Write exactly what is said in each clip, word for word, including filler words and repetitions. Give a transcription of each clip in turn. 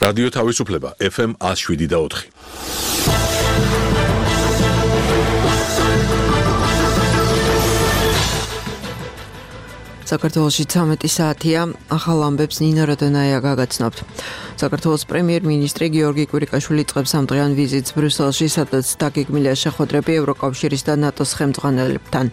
რადიო თავისუფლება ეფ ემ ათს შვიდი და ოთხი. საქართველოში ცამეტი საათია, ახალ ამბებს ნინა როდონაია გაგაცნობთ. საქართველოს პრემიერ-მინისტრი გიორგი კვირიკაშვილი იწყებს ამდღიან ვიზიტს ბრიუსელში, სადაც დაგეგმილია შეხვედრები ევროკავშირის და ნატოს ხელმძღვანელებთან.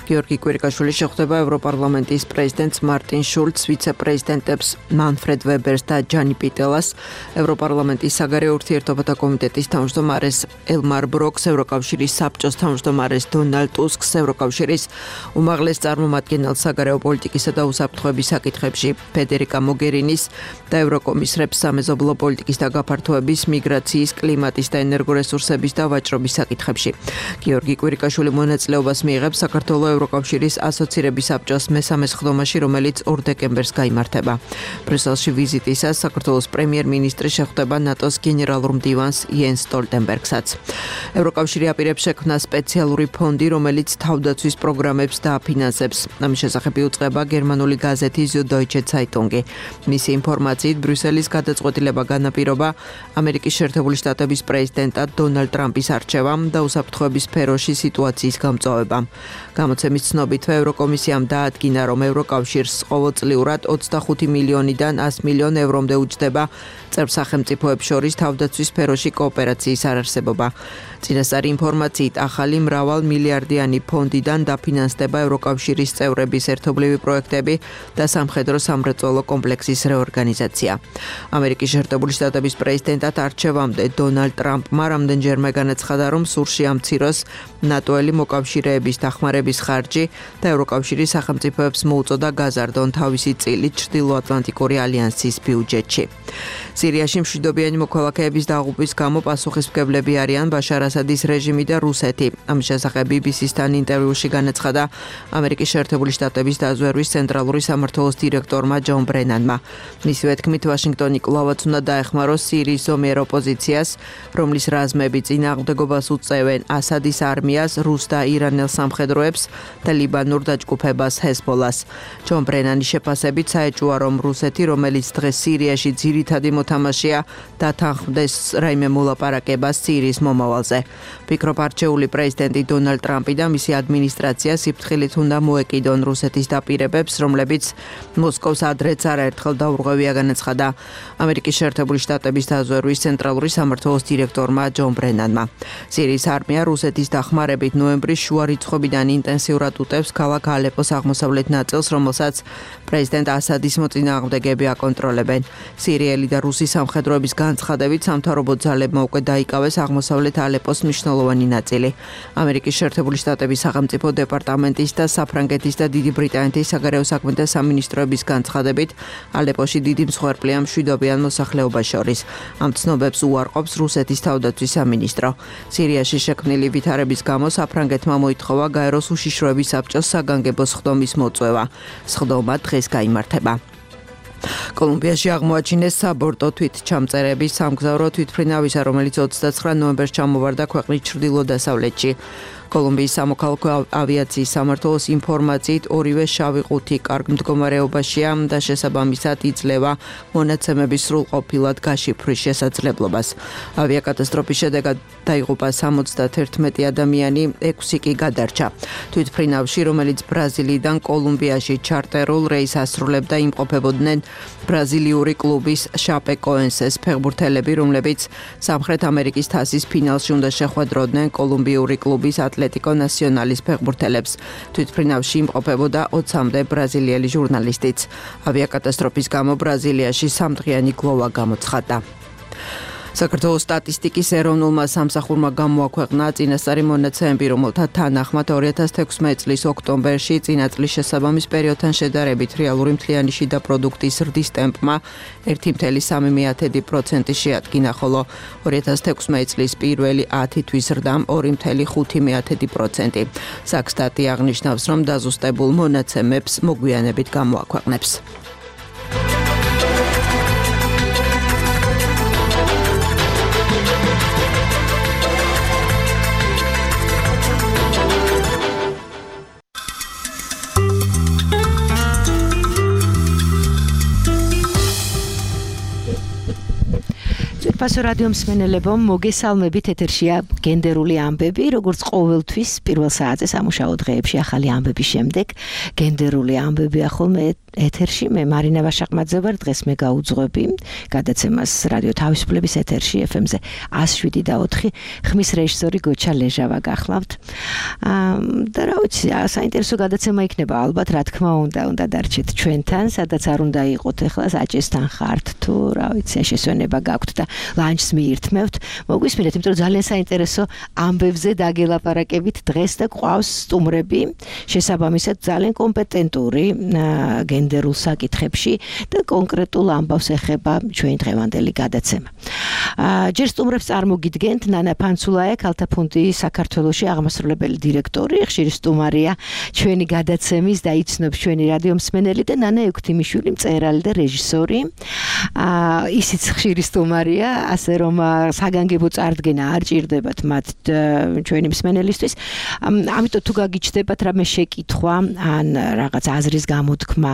გიორგი კვირიკაშვილი შეხვდება ევროპარლამენტის პრეზიდენტს მარტინ შულცს, ვიცე-პრეზიდენტებს მანფრედ ვებერს და ჯანი პიტელას, ევროპარლამენტის საგარეო ურთიერთობათა კომიტეტის თავმჯდომარეს ელმარ ბროკს, ევროკავშირის საბჭოს თავმჯდომარეს დონალდ ტუსკს, ევროკავშირის უმაღლეს წარმომადგენელს საგარეო პოლიტიკისა და უსაფრთხოების საკითხებში ფედერიკა მოგერინის და ევროკომისრებს სამეზობლო პოლიტიკის და გაფართოების, მიგრაციის, კლიმატის და ენერგორესურსების და ვაჭრობის საკითხებში. გიორგი კვირიკაშვილი მონაწილეობას მიიღებს საქართველოს ევროკავშირის ასოცირების საბჭოს მესამე სხდომაში, რომელიც ორ დეკემბერს გაიმართება. ბრიუსელში ვიზიტისას საქართველოს პრემიერ-მინისტრი შეხვდება ნატოს გენერალურ მდივანს იენს სტოლტენბერგსაც. ევროკავშირი აპირებს შექმნა სპეციალური ფონდი, რომელიც თავდაცვის პროგრამებს დააფინანსებს. ამის შესახებ იუწყება გერმანული გაზეთი Süddeutsche Zeitung. მისი ინფორმაციით ბრიუსელის გადაწყვეტილება განაპირობა ამერიკის შეერთებული შტატების პრეზიდენტად დონალდ ტრამპის არჩევამ და უსაფრთხოების სფეროში სიტუაციის გამწვავებამ. გამოცემის ცნობითვე ევროკომისიამ დაადგინა, რომ ევროკავშირს ყოველწლიურად ოცდახუთი მილიონიდან ას მილიონ ევრომდე უჯდება წევრ სახელმწიფოებს შორის თავდაცვის სფეროში კოოპერაციის არარსებობა. წინასწარი ინფორმაციით ახალი მრავალ მილიარდიანი ფონდიდან დაფინანსდება ევროკავშირის წევრების ერთობლივი პროექტები და სამხედრო სამრეწველო კომპლექსის რეორგანიზაცია. ამერიკის შეერთებული შტატების პრეზიდენტად არჩევამდე დონალდ ტრამპმა რამდენჯერმე განაცხადა, რომ სურში ამციროს ნატოელი მოკავშირეების დახმარების ხარჯი და ევროკავშირის სახელმწიფოებს მოუწოდა გაზარდონ თავისი წილი ჩრდილოატლანტიკური ალიანსის ბიუჯეტში. სირიაში მშვიდობიანი მოქალაქეების დაღუპვის გამო პასუხისმგებლები არიან ბაშარ ასადის რეჟიმი და რუსეთი. ამის შესახებ ბი ბი სისთან ინტერვიუში განაცხადა ამერიკის შეერთებული შტატების დაზვერვის ცენტრალური სამმართველოს დირექტორმა ჯონ ბრენანმა. მისივე თქმით, ვაშინგტონი კვლავაც უნდა დაეხმაროს სირიის ზომიერ ოპოზიციას, რომლის რაზმები წინააღმდეგობას უწევენ ასადის არმიას, რუს და ირანელ სამხედროებს და ლიბანურ დაჯგუფებას ჰეზბოლას. ჯონ ბრენანის შეფასებით საეჭვოა, რომ რუსეთი, რომელიც დღეს სირიაში ძირითადი მოთამაშეა, დათანხმდეს რაიმე მოლაპარაკებას სირიის მომავალზე. ფიქრობ, არჩეული პრეზიდენტი დონალდ ტრამპი და მისი ადმინისტრაცია სიფრთხილით უნდა მოეკიდონ რუსეთის დაპირებებს, რომლებიც მოსკოვს ადრეც არაერთხელ დაურღვევია, განაცხადა ამერიკის შეერთებული შტატების დაზვერვის ცენტრალური სამმართველოს დირექტორმა ჯონ ბრენანმა. სირიის არმია რუსეთის დახმარებით ნოემბრის შუა რიცხვებიდან ინტენსიურად უტევს ქალაქ ალეპოს აღმოსავლეთ ნაწილს, რომელსაც პრეზიდენტ ასადის მოწინააღმდეგეები აკონტროლებენ. სირიელი და რუსი სამხედროების განცხადებით სამთავრობო ძალებმა უკვე დაიკავეს აღმოსავლეთ ალეპოს მნიშვნელოვანი ნაწილი. ამერიკის შეერთებული შტატების სახელმწიფო დეპარტამენტის და საფრანგეთის და დიდი ბრიტანეთის საგარეო საქმეთა სამინისტროების განცხადებით ალეპოში დიდი მსხვერპლია მშვიდობიან მოსახლეობას შორის. ამ ცნობებს უარყოფს რუსეთის თავდაცვის სამინისტრო. სირიაში შექმნილი ვითარების გამო საფრანგეთმა მოითხოვა გაეროს უშიშროების საბჭოს საგანგებო სხდომის მოწვევა. სხდომა დღეს გაიმართება. კოლუმბიაში აღმოაჩინეს საბორტო თვითჩამწერების სამგზავრო თვითმფრინავისა, რომელიც ოცდაცხრა ნოემბერს ჩამოვარდა ქვეყნის ჩრდილო-დასავლეთში. კოლუმბიის სამოქალაქო ავიაციის სამმართველოს ინფორმაციით ორივე შავი ყუთი კარგ მდგომარეობაშია და შესაბამისად იძლევა მონაცემების სრულყოფილად გაშიფვრის შესაძლებლობას. ავიაკატასტროფის შედეგად დაიღუპა სამოცდაერთი ადამიანი, ექვსი კი გადარჩა. თვითმფრინავში, რომელიც ბრაზილიიდან კოლუმბიაში ჩარტერულ რეისს ასრულებდა, იმყოფებოდნენ ბრაზილიური კლუბის შაპეკოენსეს ფეხბურთელები, რომლებიც სამხრეთ ამერიკის თასის ფინალში უნდა შეხვედროდნენ კოლუმბიური კლუბის ატლეტიკო ნასიონალის ფეხბურთელებს. თვითმფრინავში იმყოფებოდა ოცამდე ბრაზილიელი ჟურნალისტიც. ავიაკატასტროფის გამო ბრაზილიაში სამდღიანი გლოვა გამოცხადდა. საქართველოს სტატისტიკის ეროვნულმა სამსახურმა გამოაქვეყნა წინასწარი მონაცემები, რომელთა თანახმად ორი ათას თექვსმეტი წლის ოქტომბერში წინა წლის შესაბამის პერიოდთან შედარებით რეალური მთლიანი შიდა პროდუქტის ზრდის ტემპმა ერთი კoma სამი პროცენტი შეადგინა, ხოლო ორი ათას თექვსმეტი წლის პირველი ათი თვის ზრდამ ორი კoma ხუთი პროცენტი. საქსტატი აღნიშნავს, რომ დაზუსტებულ მონაცემებს მოგვიანებით გამოაქვეყნებს. Უსწრაფასო რადიო მსმენელებო, მოგესალმებით, ეთერშია გენდერული ამბები, როგორც ყოველთვის პირველ საათზე სამუშაო დღეებში ახალი ამბების შემდეგ გენდერული ამბები ახალმე ეთერში. მე მარინა ვაშაყმაძე ვარ, დღეს მე გაუძღვები გადაცემას რადიო თავისუფლების ეთერში ეფ ემ-ზე εκατს შვიდი და ოთხი. ხმის რეჟისორი გოჩა ლეჟავა გახლავთ. და რა ვიცი, საინტერესო გადაცემა იქნება ალბათ, რა თქმა უნდა, უნდა დარჩეთ ჩვენთან, სადაც არ უნდა იყოთ ახლა საჭესთან ხართ თუ რა ვიცი, შესვენება გაქვთ და ლანჩს მიირთმევთ. მოგვისმინეთ, იმიტომ რომ ძალიან საინტერესო ამბებზე დაგელაპარაკებით დღეს და გვყავს სტუმრები, შესაბამისად ძალიან კომპეტენტური გენდერულ საკითხებში და კონკრეტულ ამბავს ეხება ჩვენი დღევანდელი გადაცემა. ჯერ სტუმრებს წარმოგიდგენთ ნანა ფანცულაია, ქალთა ფონდი საქართველოში აღმასრულებელი დირექტორი, ხშირი სტუმარია ჩვენი გადაცემის და იცნობს ჩვენი რადიო მსმენელი და ნანა ექვთიმიშვილი, მწერალი და რეჟისორი. ისიც ხშირი სტუმარია, ასე რომ საგანგებო წარდგენა არ ჭირდებათ მათ ჩვენი მსმენელისთვის. ამიტომ თუ გაგიჩნდებათ რამე შეკითხვა ან რაღაც აზრის გამოთქმა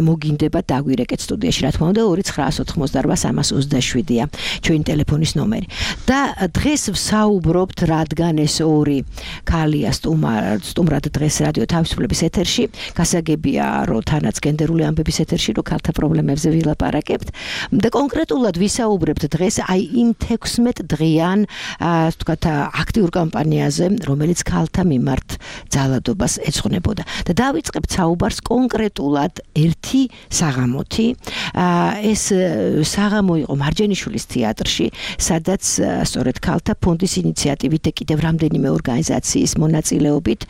მოგინდებათ, დაგვირეკეთ სტუდიაში, რა თქმა უნდა ორი ცხრაას ოთხმოცდარბა სამას ოცდაშვიდია ჩვენი ტელეფონის ნომერი. და დღეს ვსაუბრობთ, რადგან ეს ორი ქალია სტუმრად დღეს რადიო თავისუფლების ეთერში, გასაგებია რომ თანაც გენდერული ამბების ეთერში რომ ქალთა პრობლემებზე ვილაპარაკებთ და კონკრეტულად ვისაუბრებთ დღეს აი იმ თექვსმეტ დღიან ასე ვთქვათ აქტიურ კამპანიაზე, რომელიც ქალთა მიმართ ძალადობას ეძღვნებოდა. და დავიწყებთ საუბარს კონკრეტულად ერთი საღამოთი. ეს საღამო იყო მარჯანიშვილის თეატრში, სადაც სწორედ ქალთა ფონდის ინიციატივით და კიდევ რამდენიმე ორგანიზაციის მონაწილეობით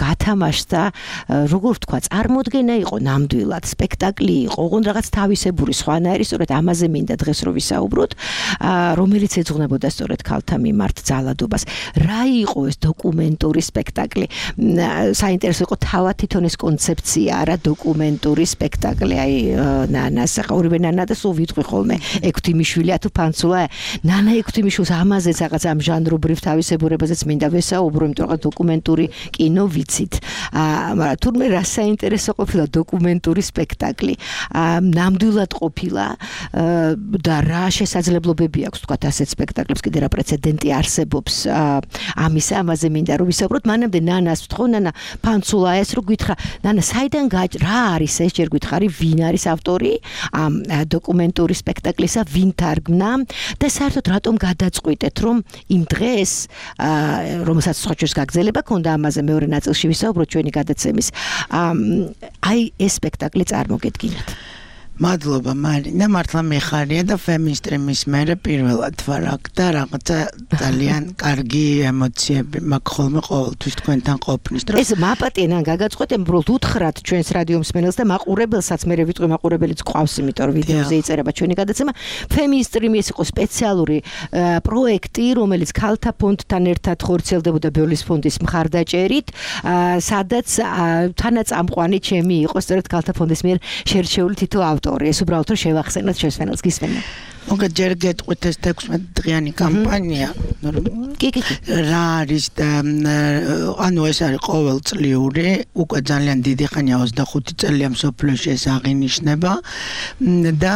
გათამაშდა, როგორ ვთქვა, წარმოდგენა იყო ნამდვილად, სპექტაკლი იყო, ოღონდ რაღაც თავისებური სხვანაირი, სწორედ ამაზე მინდა დღეს რომ ვისაუბროთ, რომელიც ეძღვნებოდა სწორედ ქალთა მიმართ ძალადობას. რა იყო ეს დოკუმენტური სპექტაკლი? საინტერესო იყო თავად თვითონ ეს კონცეფცია, არა დოკუმენტური სპექტაკლი. აი ნანას, ორივე ნანა და სულ ვიტყვი ხოლმე ექვთიმიშვილია თუ ფანცულაია. ნანა ექვთიმიშვილს ამაზე რაღაც ამ ჟანრობრივ თავისებურებაზეც მინდა ვესაუბრო, იმიტომ რომ დოკუმენტური კინო ვიცით. მაგრამ თურმე რა საინტერესო ყოფილა დოკუმენტური სპექტაკლი. ნამდვილად ყოფილა და რა შესაძლებლობები აქვს თქვათ ასეთ სპექტაკლებს, კიდე რა პრეცედენტი არსებობს ამისა, ამაზე მინდა რომ ვისაუბროთ. მანამდე ნანას ვთხოვ, ნანა ფანცულაიას რომ გითხრა, ნანა საიდან რა არის ეს, ჯერ გითხარი ვინ არის ავტორი ამ დოკუმენტური სპექტაკლისა, ვინ თარგმნა და საერთოდ რატომ გადაწყვიტეთ რომ იმ დღეს რომელსაც სხვაჩვენს გაგზელება ქონდა ამაზე მეორე ნაწილში ვისაუბროთ ჩვენი გადაცემის, აი ეს სპექტაკლი წარმოგედგინათ. მადლობა მარინა, მართლა მიხარია და ფემინისტრიმის მერე პირველად ვარ აქ და რაღაცა ძალიან კარგი ემოციები მაქვს ხოლმე ყოველთვის თქვენთან ყოფნის დროს. ეს მაპატიენან გაგაწყვეტენ, უბრალოდ უთხრათ ჩვენს რადიო მსმენელს და მაყურებელსაც, მე ვიტყვი მაყურებელიც ყავს, იმიტომ რომ ვიდეოზე იწერება ჩვენი გადაცემა. ფემინისტრიმი ეს იყო სპეციალური პროექტი, რომელიც ქალთა ფონდთან ერთად ხორციელდებოდა ბიოლის ფონდის მხარდაჭერით, სადაც თანაწამყვანი ჩემი იყო სწორედ ქალთა ფონდის მიერ შერჩეული თითო ავტორი. ეს უბრალოდ რომ შევახსენოთ შესვენელს გისმენთ. მოგეთ ჯერ გეტყვით ეს თექვსმეტ დღიანი კამპანია. კი კი კი. რა არის და ანუ ეს არის ყოველწლიური, უკვე ძალიან დიდი ხანია, ოცდახუთი წელია მსოფლიოში ეს აღინიშნება და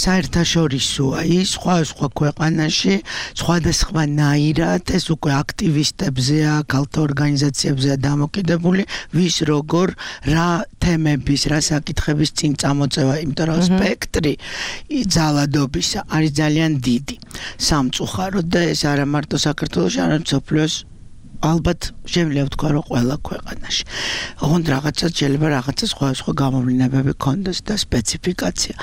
საერთაშორისოა ის სხვა სხვა ქვეყანაში, სხვადასხვანაირად ეს უკვე აქტივისტებზეა, ქალთა ორგანიზაციებზეა დამოკიდებული, ვის როგორ რა თემების, რა საკითხების წინ წამოწევა, იმიტომ რომ სპექტრი ძალადობისა არის ძალიან დიდი, სამწუხაროდ და ეს არა მარტო საქართველოში, არამედ მსოფლიოს ალბათ შემიძლია ვთქვა რომ ყველა ქვეყანაში. ოღონდ რაღაცა შეიძლება რაღაცა სხვა სხვა გამოვლინებები ქონდეს და სპეციფიკაცია.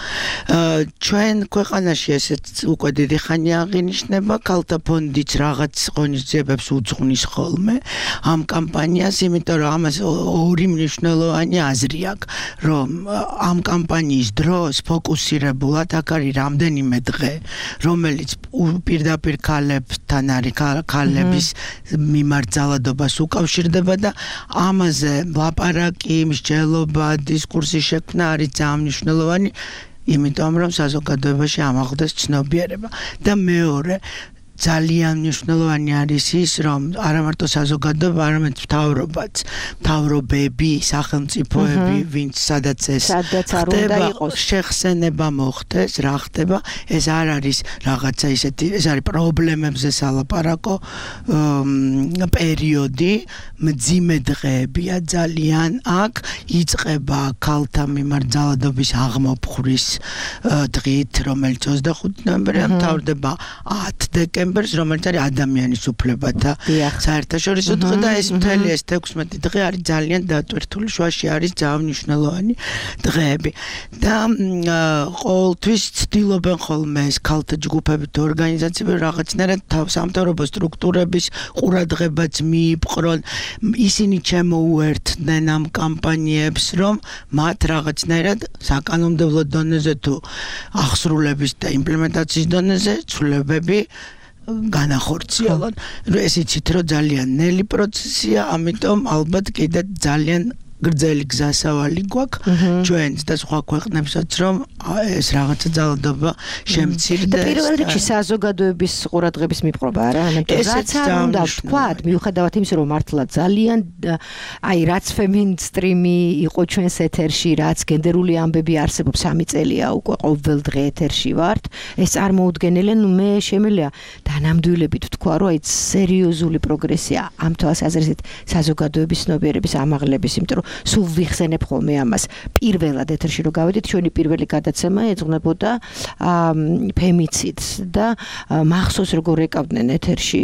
ჩვენ ქვეყანაში ესეც უკვე დიდი ხანია აღინიშნება, ქალთა ფონდიც რაღაც ღონისძიებებს უძღვნის ხოლმე ამ კამპანიას, იმიტომ რომ ამას ორი მნიშვნელოვანი აზრი აქვს, რომ ამ კამპანიის დროს ფოკუსირებულად აქ არის რამდენიმე დღე, რომელიც პირდაპირ ქალებთან არის, ქალების მიმართ ძალადობას უკავშირდება და ამაზე ლაპარაკი, მსჯელობა, დისკურსი შექმნა არის ძალიან მნიშვნელოვანი, იმიტომ რომ საზოგადოებაში ამაღლდეს ცნობიერება. და მეორე, ძალიან მნიშვნელოვანი არის ის, რომ არა მარტო საზოგადოება, არამედ მთავრობაც, მთავრობები, სახელმწიფოები, ვინც სადაც ეს ხდება, შეხსენება მოხდეს, რა ხდება, ეს არ არის რაღაცა ისეთი, ეს არის პრობლემებზე სალაპარაკო პერიოდი, მძიმე დღეებია ძალიან აქ, იწყება ქალთა მიმართ ძალადობის აღმოფხვრის დღით, რომელიც ოცდახუთი ნოემბერია მთავრდება ათ დეკემბერს, რომელიც არის ადამიანის უფლებათა საერთაშორისო დღე და ეს მთელი ეს თექვსმეტი დღე არის ძალიან დატვირთული, შუაში არის ძალიან მნიშვნელოვანი დღეები. და ყოველთვის ცდილობენ ხოლმე ეს ქალთა ჯგუფები თუ ორგანიზაციები რაღაცნაირად სამთავრობო სტრუქტურების ყურადღებაც მიიპყრონ, ისინი ჩემოუერთდნენ ამ კამპანიებს, რომ მათ რაღაცნაირად საკანონმდებლო დონეზე თუ აღსრულების და იმპლემენტაციის დონეზე ცვლილებები განახორციელონ. ეს იცით, რომ ძალიან ნელი პროცესია, ამიტომ ალბათ კიდე ძალიან გრძელი გზასავალი გვაქვს ჩვენს და სხვა ქვეყნებსაც, რომ ეს რაღაცა ძალადობა შემცირდეს. და პირველ რიგში საზოგადოების ყურადღების მიპყრობა არა, ამიტომ რაც არ უნდა ვთქვათ, მიუხედავად იმისა, რომ მართლა ძალიან აი რაც ფემინსტრიმი იყო ჩვენს ეთერში, რაც გენდერული ამბები არსებობს სამი წელია უკვე ყოველ დღე ეთერში ვართ, ეს წარმოუდგენელი, ნუ მე შემიძლია დანამდვილებით ვთქვა, რომ აი სერიოზული პროგრესია ამ თვალსაზრისით საზოგადოების ცნობიერების ამაღლების, იმიტომ რომ სულ ვიხსენებ ხოლმე ამას. პირველად ეთერში რო გავედით, ჩვენი პირველი გადაცემა ეძღვნებოდა ფემიციდს და მახსოვს როგორ ეკავდნენ ეთერში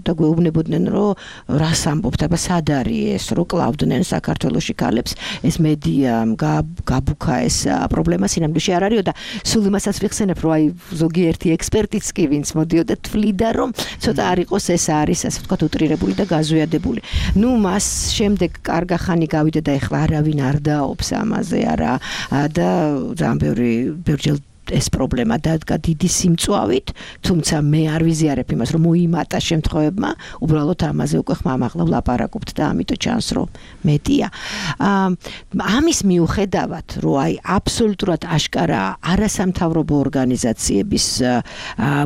და გვეუბნებოდნენ, რომ რას ამბობთ, აბა სად არის ეს, რო კლავდნენ საქართველოში ქალებს, ეს მედიამ გაბუქა ეს პრობლემა სინამდვილეში არ არისო და სულ იმასაც ვიხსენებ, რომ აი ზოგიერთი ექსპერტიც კი ვინც მოდიოდა თვლიდა, რომ ცოტა არ იყოს ეს არის, ასე ვთქვათ, უტრირებული და გაზვიადებული. ნუ მას შემდეგ კარგა ხანი გავიდა და ეხლა არავინ არ დაობს ამაზე არა და ძალიან ბევრი ბევრჯერ ეს პრობლემა დადგა დიდი სიმწვავით, თუმცა მე არ ვიზიარებ იმას, რომ მოიმატა შემთხვევებმა, უბრალოდ ამაზე უკვე ხმამაღლა ვლაპარაკობთ და ამიტომ ჩანს, რომ მეტია. ამის მიუხედავად, რომ აი აბსოლუტურად აშკარა არასამთავრობო ორგანიზაციების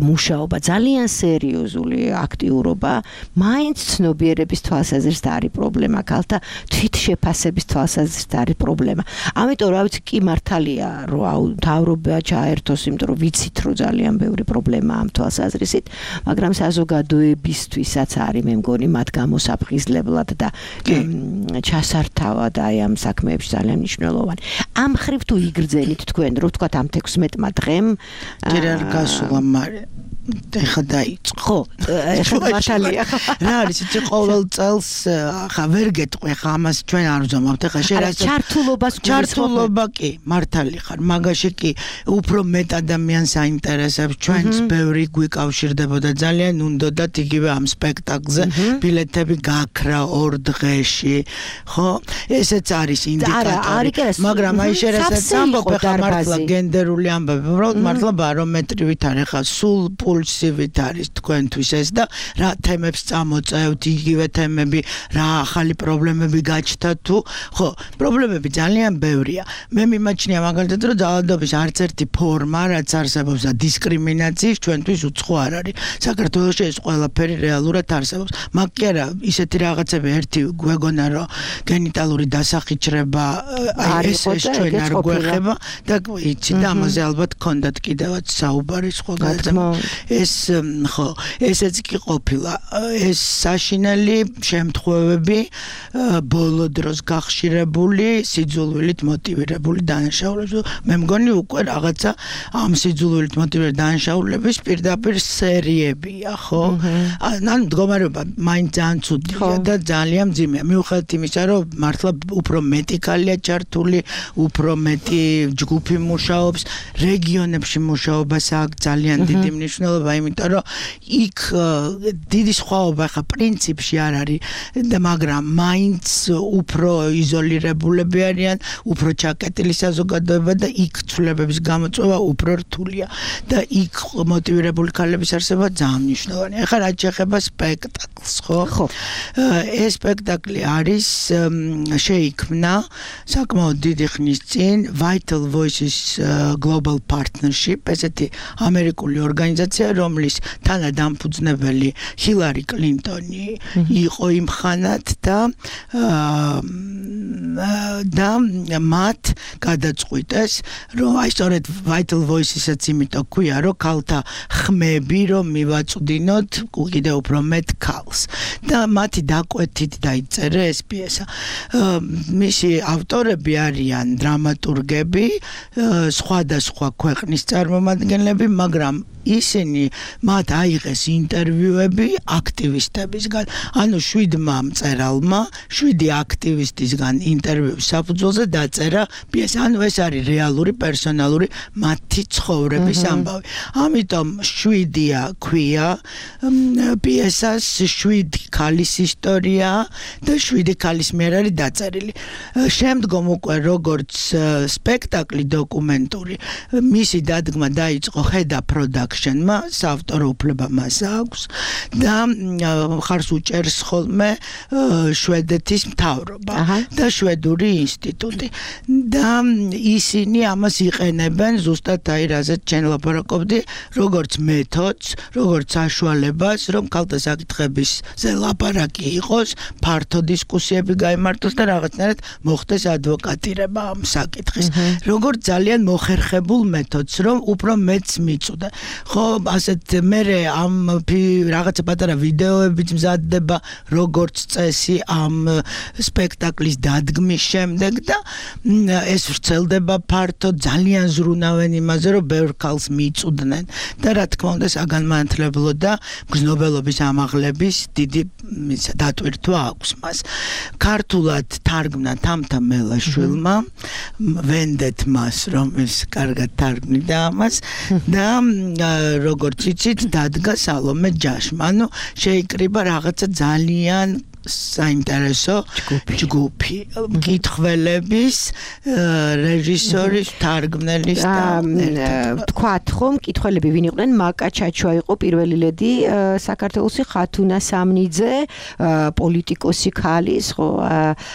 მუშაობა, ძალიან სერიოზული აქტიურობა, მაინც ცნობიერების თვალსაზრისით არის პრობლემა, ქალთა თვითშეფასების თვალსაზრისით არის პრობლემა. ამიტომ რა ვიცი, კი მართალია, რომ მთავრობა ერთოს, იმიტომ რომ ვიცით, რომ ძალიან ბევრი პრობლემა ამ თვალსაზრისით, მაგრამ საზოგადოებისთვისაც არის, მე მგონი, მათ გამოსაფხიზლებლად და ჩასართავად აი ამ საქმეებში ძალიან მნიშვნელოვანი. ამ ხრივ თუ იგრძენით თქვენ, რო ვთქვათ ამ თექვსმეტმა დღემ, ჯერ არ გასულა, მაგრამ ეხა დაიწყო. ხო, ეხა მართალია. რა არის, იცი ყოველ წელს ხა ვერ გეტყვი, ხა ამას ჩვენ არ ვზომავთ, ეხა შეიძლება ჩართულობას ჩართულობა კი, მართალი ხარ, მაგაში კი უფრო მეტ ადამიანს აინტერესებს, ჩვენც ბევრი გვიკავშირდებოდა, ძალიან უნდოდათ იგივე ამ სპექტაკლზე ბილეთები გაქრა ორ დღეში, ხო? ესეც არის ინდიკატორი, მაგრამ აი შეიძლება ამბობ, ხა მართლა გენდერული ამბები, უბრალოდ მართლა ბარომეტრივით არის, ხა სულ პულსივით არის თქვენთვის ეს და რა თემებს წამოწევთ, იგივე თემები, რა ახალი პრობლემები გაჩნდა თუ, ხო, პრობლემები ძალიან ბევრია. მე მიმაჩნია მაგალითად, რომ ძალადობის არც ერთი ფორმა, რაც არსებობს და დისკრიმინაციის ჩვენთვის უცხო არ არის. საქართველოში ეს ყველაფერი რეალურად არსებობს. მაგ კი არა, ისეთი რაღაცები ერთი გვეგონა, რომ გენიტალური დასახიჩრება ეს ეს ჩვენ არ გვეხება და იცი და ამაზე ალბათ გქონდათ კიდევაც საუბარი სხვა გადაცემა. ეს ხო, ესეც კი ყოფილა. ეს საშინელი შემთხვევები ბოლო დროს გახშირებული, სიძულვილით მოტივირებული დანაშაულები. მე მგონი უკვე რაღაცა ამ სიძულვილით მოტივირებული დანაშაულების პირდაპირ სერიებია, ხო? ანუ მდგომარეობა მაინც ძალიან ცუდია და ძალიან მძიმეა. მიუხედავად იმისა, რომ მართლა უფრო მეტი ქალია ჩართული, უფრო მეტი ჯგუფი მუშაობს, რეგიონებში მუშაობას აქვს ძალიან დიდი მნიშვნელობა, იმიტომ რომ იქ დიდი სხვაობა ხა პრინციპში არ არის, მაგრამ მაინც უფრო იზოლირებულები არიან, უფრო ჩაკეტილი საზოგადოება და იქ ცვლილებების გამოწვევა უფრო რთულია და იქ მოტივირებული ქალების არსება ძალიან მნიშვნელოვანია. ეხლა რაც შეეხება სპექტაკლს, ხო? ხო. ეს სპექტაკლი არის შეიქმნა საკმაოდ დიდი ხნის წინ Vital Voices Global Partnership, ესეთი ამერიკული ორგანიზაცია, ადმინისტრაცია, რომლის თანადამფუძნებელი ჰილარი კლინტონი იყო იმ ხანად და და მათ გადაწყვიტეს, რომ აი სწორედ Vital Voices-იც იმიტომ ქვია, რომ ქალთა ხმები რომ მივაწვდინოთ კიდევ უფრო მეტ ქალს. და მათი დაკვეთით დაიწერა ეს პიესა. მისი ავტორები არიან დრამატურგები, სხვადასხვა ქვეყნის წარმომადგენლები, მაგრამ ისინი მათ აიღეს ინტერვიუები აქტივისტებისგან, ანუ შვიდმა მწერალმა, შვიდი აქტივისტისგან ინტერვიუს საფუძველზე დაწერა პიესა, ანუ ეს არის რეალური პერსონალური მათი ცხოვრების ამბავი. ამიტომ შვიდია ქვია პიესას, შვიდი ქალის ისტორია და შვიდი ქალის მიერ არის დაწერილი. შემდგომ უკვე როგორც სპექტაკლი დოკუმენტური, მისი დადგმა დაიწყო ხედა პროდაქშენმა, საავტორო უფლება მას აქვს და მხარს უჭერს ხოლმე შვედეთის მთავრობა და შვედური ინსტიტუტი და ისინი ამას იყენებენ ზუსტად აი რაზეც ჩვენ ლაპარაკობდი, როგორც მეთოდს, როგორც საშუალებას, რომ ქალთა საკითხებზე ლაპარაკი იყოს, ფართო დისკუსიები გაიმართოს და რაღაცნაირად მოხდეს ადვოკატირება ამ საკითხის. როგორც ძალიან მოხერხებულ მეთოდს, რომ უფრო მეც მიწვდა. ხო, ასეთ მერე ამ რაღაცა პატარა ვიდეოებიც მზადდება, როგორც წესი ამ სპექტაკლის დადგმის შემდეგ და ეს ვრცელდება ფართოდ, ძალიან ზრუნავენ იმაზე, რომ ბევრ ქალს მიწვდნენ და რა თქმა უნდა საგანმანათლებლო და მგზნობელობის ამაღლების დიდი დატვირთვა აქვს მას. ქართულად თარგმნა თამთა მელაშვილმა, ვენდეთ მას, რომ ის კარგად თარგმნიდა ამას და როგორც იცით, დადგა სალომე ჯაშმა. ანუ შეიკრიბა რაღაცა ძალიან საინტერესო ჯგუფი მკითხველების, რეჟისორის, თარგმნელის და თქვათ ხომ მკითხველები ვინ იყვნენ? მაკა ჩაჩვა იყო პირველი ლედი საქართველოსი, ხათუნა სამნიძე, პოლიტიკოსი ქალის, ხო,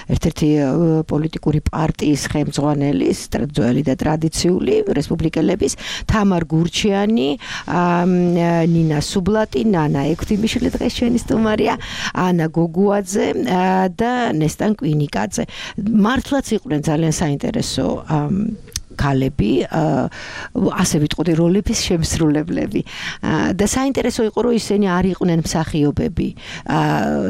ერთ-ერთი პოლიტიკური პარტიის ხელმძღვანელის, ძველი და ტრადიციული რესპუბლიკელების, თამარ გურჩიანი, ნინა სუბლატი, ნანა ექვთიმიშვილი დღეს ჩვენი სტუმარია, ანა გოგუა და ნესტან კვინიკაძე. მართლაც იყვნენ ძალიან საინტერესო ქალები, ასე ვიტყოდი, როლების შემსრულებლები. და საინტერესო იყო, რომ ისინი არ იყვნენ მსახიობები.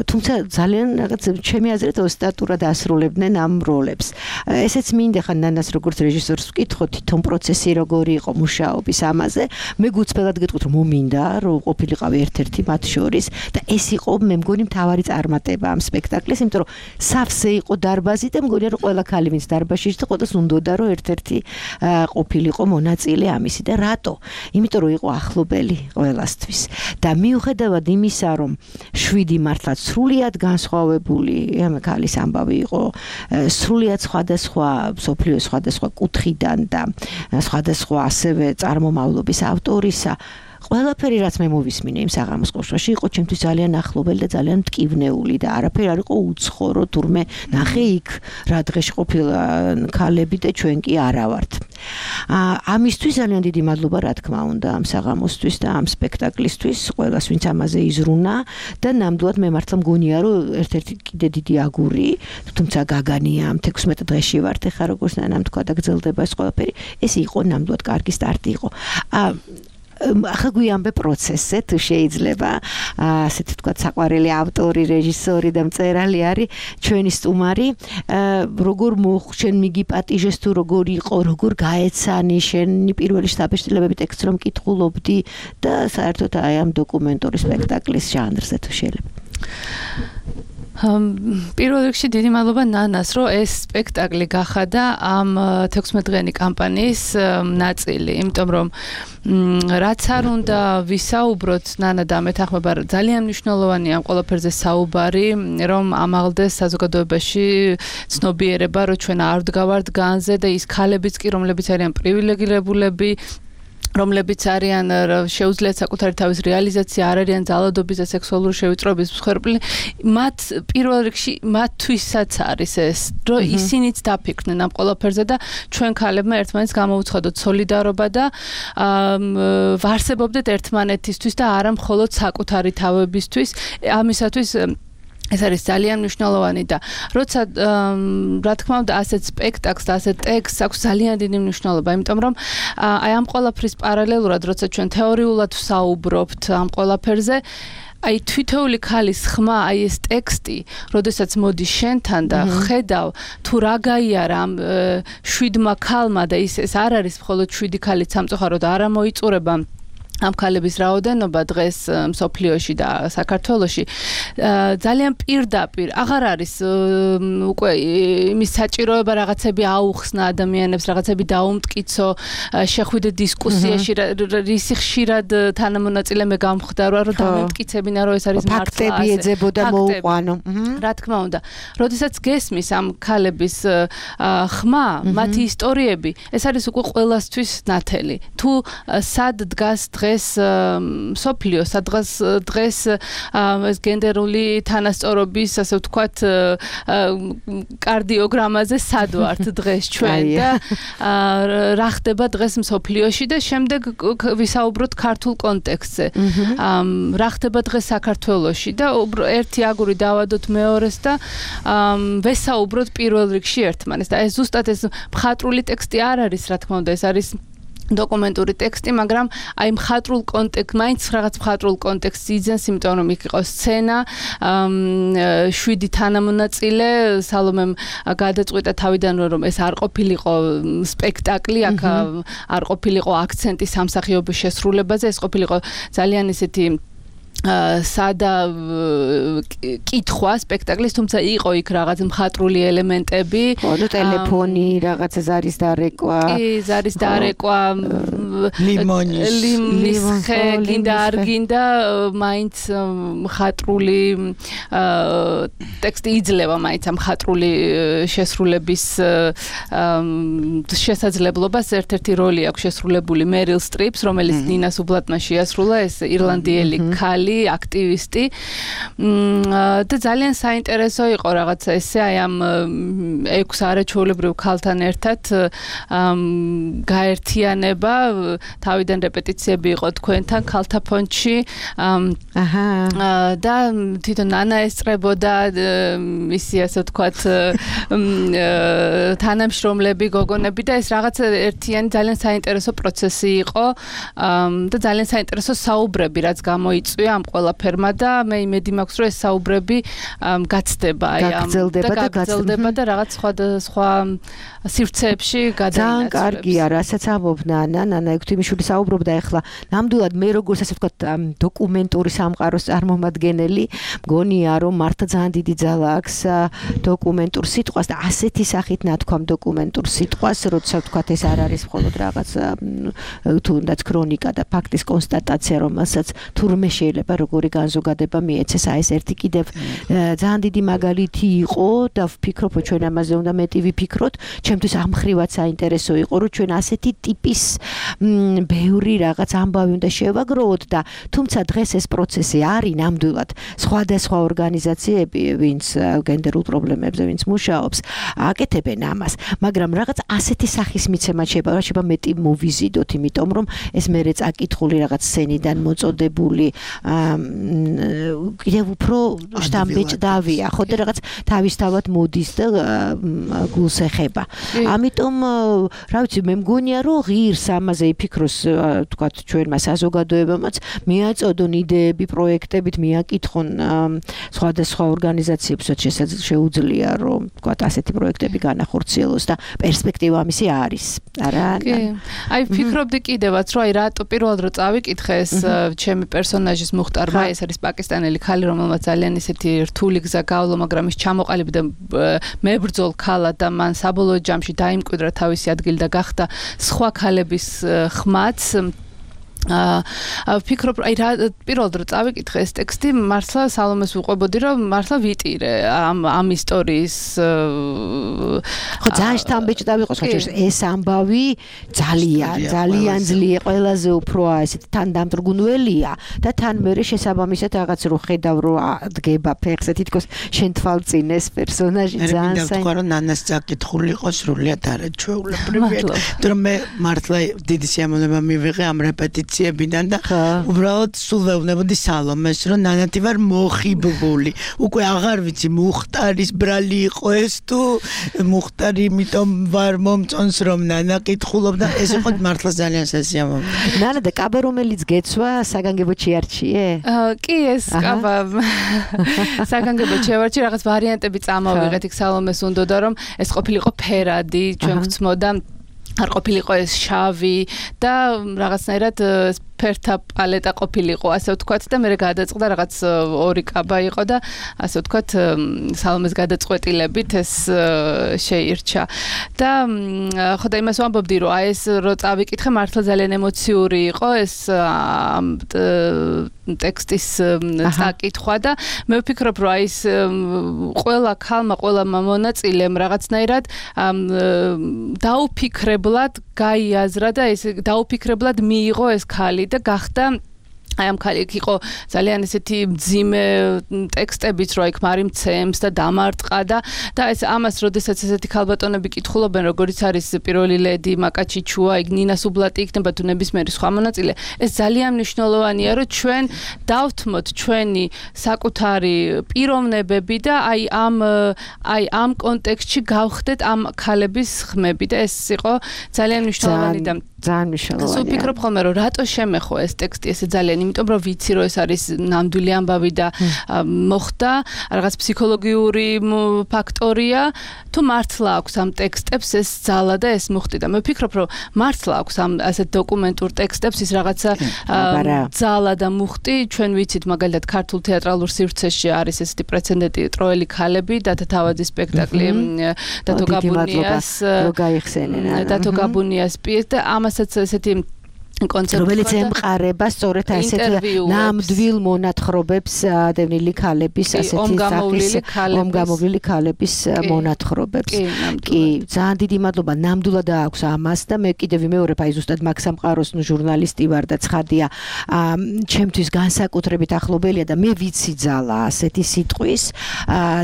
თუმცა ძალიან რაღაც ჩემი აზრით ოსტატურად ასრულებდნენ ამ როლებს. ესეც მინდა ხან ნანას როგორც რეჟისორს ვკითხო, თვითონ პროცესი როგორი იყო მუშაობის ამაზე. მე გუწფელად გეტყვით, რომ მომინდა, რომ ყოფილიყავი ერთ-ერთი მათ შორის და ეს იყო მე მგონი მთავარი წარმატება ამ სპექტაკლის, იმიტომ რომ სავსე იყო დარბაზი და მგონია, რომ ყველა ქალი ვინც დარბაზში იყო, ყოველს უნდოდა, რომ ერთ-ერთი ყოფილიყო მონაწილე ამისი და რატო? იმიტომ რომ იყო ახლობელი ყველასთვის და მიუხედავად იმისა, რომ შვიდი მართლაც სრულიად განსხვავებული ამ ქალის ამბავი იყო, სრულიად სხვადასხვა სოფლიოს სხვადასხვა კუთხიდან და სხვადასხვა ასევე წარმომავლობის ავტორისა, ყველაფერი რაც მე მოვისმინე იმ საღამოს ყოშოში იყო ჩემთვის ძალიან ახლობელი და ძალიან მტკივნეული და არაფერი არ იყო უცხორო, თურმე ნახე იქ რა დღეში ყოფილა ქალები და ჩვენ კი არა ვართ. ამისთვის ძალიან დიდი მადლობა რა თქმა უნდა ამ საღამოსთვის და ამ სპექტაკლისთვის, ყველას ვინც ამაზე იზრუნა და ნამდვილად მე მართლა მგონია რომ ერთ-ერთი კიდე დიდი აგური, თუმცა გაგანია ამ თექვსმეტ დღეში ვართ ეხა როგორც ნანამ თქვა და გრძელდება ეს ყველაფერი, ეს იყო ნამდვილად კარგი სტარტი იყო. ახლა გვიამბე პროცესზე თუ შეიძლება, ასეთ ვთქვათ, საყვარელი ავტორი, რეჟისორი და მწერალი არის ჩვენი სტუმარი. როგორ მოხშენ მიგიპატიჟეს თუ როგორ იყო, როგორ გაეცანი შენი პირველი შთაბეჭდილებები ტექსტს რომ კითხულობდი და საერთოდ აი ამ დოკუმენტური სპექტაკლის ჟანრზე თუ შეიძლება. პირველ რიგში დიდი მადლობა ნანას, რომ ეს სპექტაკლი გახადა ამ თექვსმეტდღიანი კამპანიის ნაწილი, იმიტომ რომ რაც არ უნდა ვისაუბროთ, ნანა და მეთანხმება, ძალიან მნიშვნელოვანია ამ ყველაფერზე საუბარი, რომ ამაღლდეს საზოგადოებაში ცნობიერება, რომ ჩვენ არ ვდგავართ განზე და ის ქალებიც კი, რომლებიც არიან პრივილეგირებულები, რომლებიც არიან შეუძლიათ საკუთარი თავის რეალიზაცია, არ არიან ძალადობის და სექსუალური შევიწროების მსხვერპლი, მათ პირველ რიგში მათთვისაც არის ეს, რომ ისინიც დაფიქრდნენ ამ ყველაფერზე და ჩვენ ქალებმა ერთმანეთს გამოვუცხადოთ სოლიდარობა და ვარსებობდეთ ერთმანეთისთვის და არა მხოლოდ საკუთარი თავებისთვის. ამისათვის ეს არის ძალიან მნიშვნელოვანი და როცა რა თქმა უნდა ასეთ სპექტაკლს და ასეთ ტექსტს აქვს ძალიან დიდი მნიშვნელობა, იმიტომ რომ აი ამ ყველაფრის პარალელურად როცა ჩვენ თეორიულად ვსაუბრობთ ამ ყველაფერზე, აი თვითეული ქალის ხმა, აი ეს ტექსტი, როდესაც მოდის შენთან და ხედავ თუ რა გაიარა ამ შვიდმა ქალმა და ის ეს არ არის მხოლოდ შვიდი ქალით სამწუხაროდ არა მოიწურება ამ ქალების რაოდენობა დღეს მსოფლიოში და საქართველოში ძალიან პირდაპირ აღარ არის უკვე იმის საჭიროება რაღაცები აუხსნა ადამიანებს, რაღაცები დაუმტკიცო, შეხვიდე დისკუსიაში, რისი ხშირად თანამონაწილე მე გამხდარა, რომ დამემტკიცებინა, რომ ეს არის მართლა ფაქტები ეძებოდა მოუყვანო. რა თქმა უნდა, როდესაც გესმის ამ ქალების ხმა, მათი ისტორიები, ეს არის უკვე ყველასთვის ნათელი. თუ სად დგას დღეს სოფლიო, სადღაც დღეს ეს გენდერული თანასწორობის, ასე ვთქვათ, კარდიოგრამაზე სად ვართ დღეს ჩვენ და რა ხდება დღეს სოფლიოში და შემდეგ ვისაუბროთ ქართულ კონტექსტზე. რა ხდება დღეს საქართველოში და ერთი აგური დავადოთ მეორეს და ვესაუბროთ პირველ რიგში ერთმანეთს. და ეს ზუსტად ეს მხატვრული ტექსტი არ არის, რა თქმა უნდა, ეს არის დოკუმენტური ტექსტი, მაგრამ აი მხატვრულ კონტექსტ, მაინც რაღაც მხატვრულ კონტექსტს იძენს, იმიტომ რომ იქ იყო სცენა, შვიდი თანამონაწილე, სალომემ გადაწყვიტა თავიდან რომ ეს არ ყოფილიყო სპექტაკლი, აქ არ ყოფილიყო აქცენტი სამსახიობის შესრულებაზე, ეს ყოფილიყო ძალიან ისეთი სადა კითხვა სპექტაკლის, თუმცა იყო იქ რაღაც მხატვრული 엘ემენტები, ხო, ტელეფონი, რაღაცა ზარის დარეკვა, კი, ზარის დარეკვა, ლიმონის ლიმონის ხე, გინდა არ გინდა, მაინც მხატვრული ტექსტი იძლევა მაინც ამ მხატვრული შესრულების შესაძლებლობას. ერთ-ერთი როლი აქვს შესრულებული მერილ სტრიპს, რომელიც ნინას უბლატმა შეასრულა, ეს ირლანდიელი ქალი, აქტივისტი და ძალიან საინტერესო იყო რაღაცა ესე აი ამ ექვს არაჩვეულებრივ ქალთან ერთად გაერთიანება, თავიდან რეპეტიციები იყო თქვენთან ქალთა ფონდში, აჰა და თვითონ ნანა ესწრებოდა ისი ასე ვთქვათ თანამშრომლები, გოგონები და ეს რაღაცა ერთიანი ძალიან საინტერესო პროცესი იყო და ძალიან საინტერესო საუბრები რაც გამოიწვია ამ ყველაფერმა და მე იმედი მაქვს რომ ეს საუბრები გაცდება აი ამ და გაგრძელდება და რაღაც სხვა სხვა სივრცეებში გადაინაცვლებს. ძალიან კარგია, რასაც ამობნა ნანა ექვთიმიშვილი საუბრობდა ახლა. ნამდვილად მე როგორც ასე ვთქვათ დოკუმენტური სამყაროს წარმომადგენელი, მგონია რომ მართლა ძალიან დიდი ძალა აქვს დოკუმენტურ სიტყვას და ასეთი სახით ნათქვამ დოკუმენტურ სიტყვას, როცა ვთქვათ ეს არ არის მხოლოდ რაღაც თუნდაც ქრონიკა და ფაქტის კონსტატაცია, რომელსაც თურმე შეიძლება როგორი განზოგადება მიეცეს. აი ეს ერთი კიდევ ძალიან დიდი მაგალითი იყო და ვფიქრობ რომ ჩვენ ამაზე უნდა მეტი ვიფიქროთ. ჩემთვის ამ ხრივაც საინტერესო იყო რომ ჩვენ ასეთი ტიპის ბევრი რაღაც ამბავი უნდა შევაგროვოთ და თუმცა დღეს ეს პროცესი არის ნამდვილად სხვადასხვა ორგანიზაციები, ვინც გენდერულ პრობლემებზე ვინც მუშაობს, აკეთებენ ამას, მაგრამ რაღაც ასეთი სახის მიცემა შეიძლება შეიძლება მეტი მოვიზიდოთ, იმიტომ რომ ეს მერე წაკითხული რაღაც სცენიდან მოწოდებული კიდევ უფრო შტამბეჭდავია, ხო და რაღაც თავისთავად მოდის და გულს ეხება. ამიტომ რა ვიცი, მე მგონია რომ ღირს ამაზე იფიქროს, თქვათ ჩვენმა საზოგადოებამაც, მიაწოდონ იდეები, პროექტებით, მიაკითხონ სხვადასხვა ორგანიზაციებსაც შეუძლია რომ თქვათ ასეთი პროექტები განახორციელოს და პერსპექტივა ამისი არის. არა? კი. აი ვფიქრობდი კიდევაც რომ აი რატო პირველად რო წავიკითხე ეს ჩემი პერსონაჟის მუხტარმა, ეს არის პაკისტანელი ქალი, რომელმაც ძალიან ისეთი რთული გზა გავლა, მაგრამ ის ჩამოყალიბდა მებრძოლ ქალად და მან საბოლოო ჯამში დაიმკვიდრა თავისი ადგილი და გახდა სხვა ქალების ხმაც. აა ვფიქრობ, აი რა პირველად რო წავიკითხე ეს ტექსტი, მართლა სალომეს ვუყვებოდი, რომ მართლა ვიტირე ამ ამ ისტორიის ხო ძალიან შთამბეჭდა ვიყოს, ხო ეს ამბავი ძალიან ძალიან ძლიერია, ყველაზე უფრო ესეთი თან დამტრგუნველია და თან მერე შესაბამისად რაღაც რო ხედავ რო დგება ფეხზე, თითქოს შენ თვალწინ ეს პერსონაჟი ძალიან საინტერესოა. მე მინდა რომ ნანას წაკითხული იყო სრულიად არაჩვეულებრივი. რომ მე მართლა დიდი სიამოვნება მივიღე ამ რეპეტიციებიდან და უბრალოდ სულ ვეუბნებოდი სალომეს, რომ ნანათი ვარ მოხიბლული. უკვე აღარ ვიცი მუხტარის ბრალი იყო ეს თუ მუხტარი იმიტომ ვარ მომწონს რომ ნანა კითხულობდა, ეს იყო მართლა ძალიან სასიამოვნო. ნანა და კაბა რომელიც გეცვა საგანგებოდ შეარჩიე? კი ეს კაბა საგანგებოდ შევარჩი, რაღაც ვარიანტები წამოვიღეთ იქ სალომეს უნდოდა რომ ეს ყოფილიყო ფერადი, ჩვენ გვცმოდა არ ყოფილიყო ეს შავი და რაღაცნაირად ფერთა პალეტა ყოფილიყო, ასე ვთქვათ და მე გადაწყდა რაღაც ორი კაბა იყო და ასე ვთქვათ სალომეს გადაწყვეტილებით ეს შეირჩა. და ხო და იმას ვამბობდი რომ აი ეს რო წავიკითხე მართლა ძალიან ემოციური იყო ეს ტექსტის წაკითხვა და მე ვფიქრობ რომ აი ეს ყველა ქალმა, ყველა მონაწილემ რაღაცნაირად დაუფიქრებლად გაიაზრა და ეს დაუფიქრებლად მიიღო ეს ქალი და გახდა აი ამ ქალი იყო ძალიან ესეთი მძიმე ტექსტებით რო იქ მარიმცემს და დამარტყა და და ეს ამას როდესაც ესეთი ქალბატონები კითხულობენ როგორიც არის პირველი ლედი მაკაჩიჩუა იქ ნინა სუბლატი იქნება თუ ნებისმიერი სხვა მონაწილე ეს ძალიან მნიშვნელოვანია რომ ჩვენ დავთმოთ ჩვენი საკუთარი პიროვნებები და აი ამ აი ამ კონტექსტში გავხდეთ ამ ქალების ხმები და ეს იყო ძალიან მნიშვნელოვანი და ძალიან მნიშვნელოვანია. სულ ვფიქრობ ხოლმე რომ რატო შემეხო ეს ტექსტი ესე ძალიან იმიტომ რომ ვიცი რომ ეს არის ნამდვილი ამბავი და მოხდა რაღაც ფსიქოლოგიური ფაქტორია თუ მართლა აქვს ამ ტექსტებს ეს ძალა და ეს მუხტი და მე ვფიქრობ რომ მართლა აქვს ამ ასეთ დოკუმენტურ ტექსტებს ის რაღაცა ძალა და მუხტი ჩვენ ვიცით მაგალითად ქართულ თეატრალურ სივრცეში არის ესეთი პრეცედენტი ტროელი ქალები და თავადის სპექტაკლი დათო გაბუნიას რო გაიხსენენ დათო გაბუნიას პიესა და ამასაც ესეთი კონცერტი რომელიც ემყარება სწორედ ასეთ ნამდვილ მონათხრობებს დევნილი ქალების ასეთი სახის ომგამოვლილი ქალების მონათხრობებს. კი, ძალიან დიდი მადლობა ნამდვილად აქვს ამას და მე კიდევ ვიმეორებ აი ზუსტად მაგ სამყაროს ნუ ჟურნალისტი ვარ და ცხადია ჩემთვის განსაკუთრებით ახლობელია და მე ვიცი ძალა ასეთი სიტყვის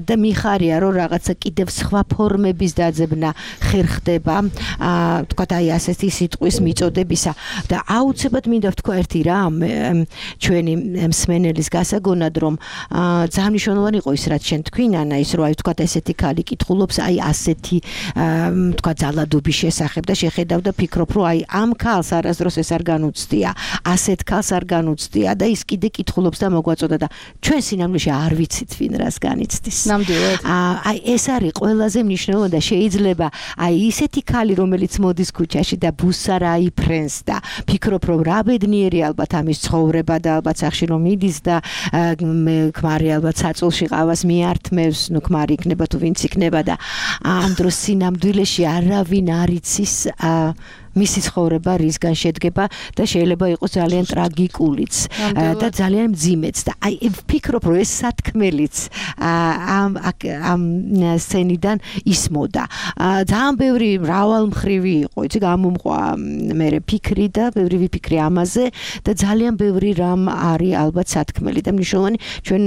და მიხარია რომ რაღაცა კიდევ სხვა ფორმების დაძებნა ხერხდება თქვა აი ასეთი სიტყვის მიწოდებისა და აუცილებლად მინდა ვთქვა ერთი რამ ჩვენი მსმენელის გასაგონად რომ ძალიან მნიშვნელოვანი იყო ის რაც შენ თქვი ნანა ის რომ აი ვთქვა ესეთი ქალი კითხულობს აი ასეთი ვთქვა ძალადობის შესახებ და შეხედავ და ფიქრობ რომ აი ამ ქალს არასდროს ეს არ განუცდია ასეთ ქალს არ განუცდია და ის კიდე კითხულობს და მოგვაწოდა და ჩვენ სინამდვილეში არ ვიცით ვინ რას განიცდის ნამდვილად აი ეს არის ყველაზე მნიშვნელოვანი და შეიძლება აი ისეთი ქალი რომელიც მოდის ქუჩაში და ბუსარა იფრენს და ფიქრობ რომ რა ბედნიერი ალბათ ამის ცხოვრება და ალბათ სახში რომ მიდის და ქმარი ალბათ საწოლში ყავას მიართმევს ნუ ქმარი იქნება თუ ვინც იქნება და ამ დროს სინამდვილეში არავინ არ იცის მისი ცხოვრება რისგან შედგება და შეიძლება იყოს ძალიან ტრაგიკულიც და ძალიან მძიმეც და აი ვფიქრობ რომ ეს სათქმელიც ამ ამ სცენიდან ისმოდა ძალიან ბევრი მრავალმხრივი იყო იცი გამომყვა მე ფიქრი და ბევრი ვიფიქრე ამაზე და ძალიან ბევრი რამ არის ალბათ სათქმელი და მნიშვნელოვანი ჩვენ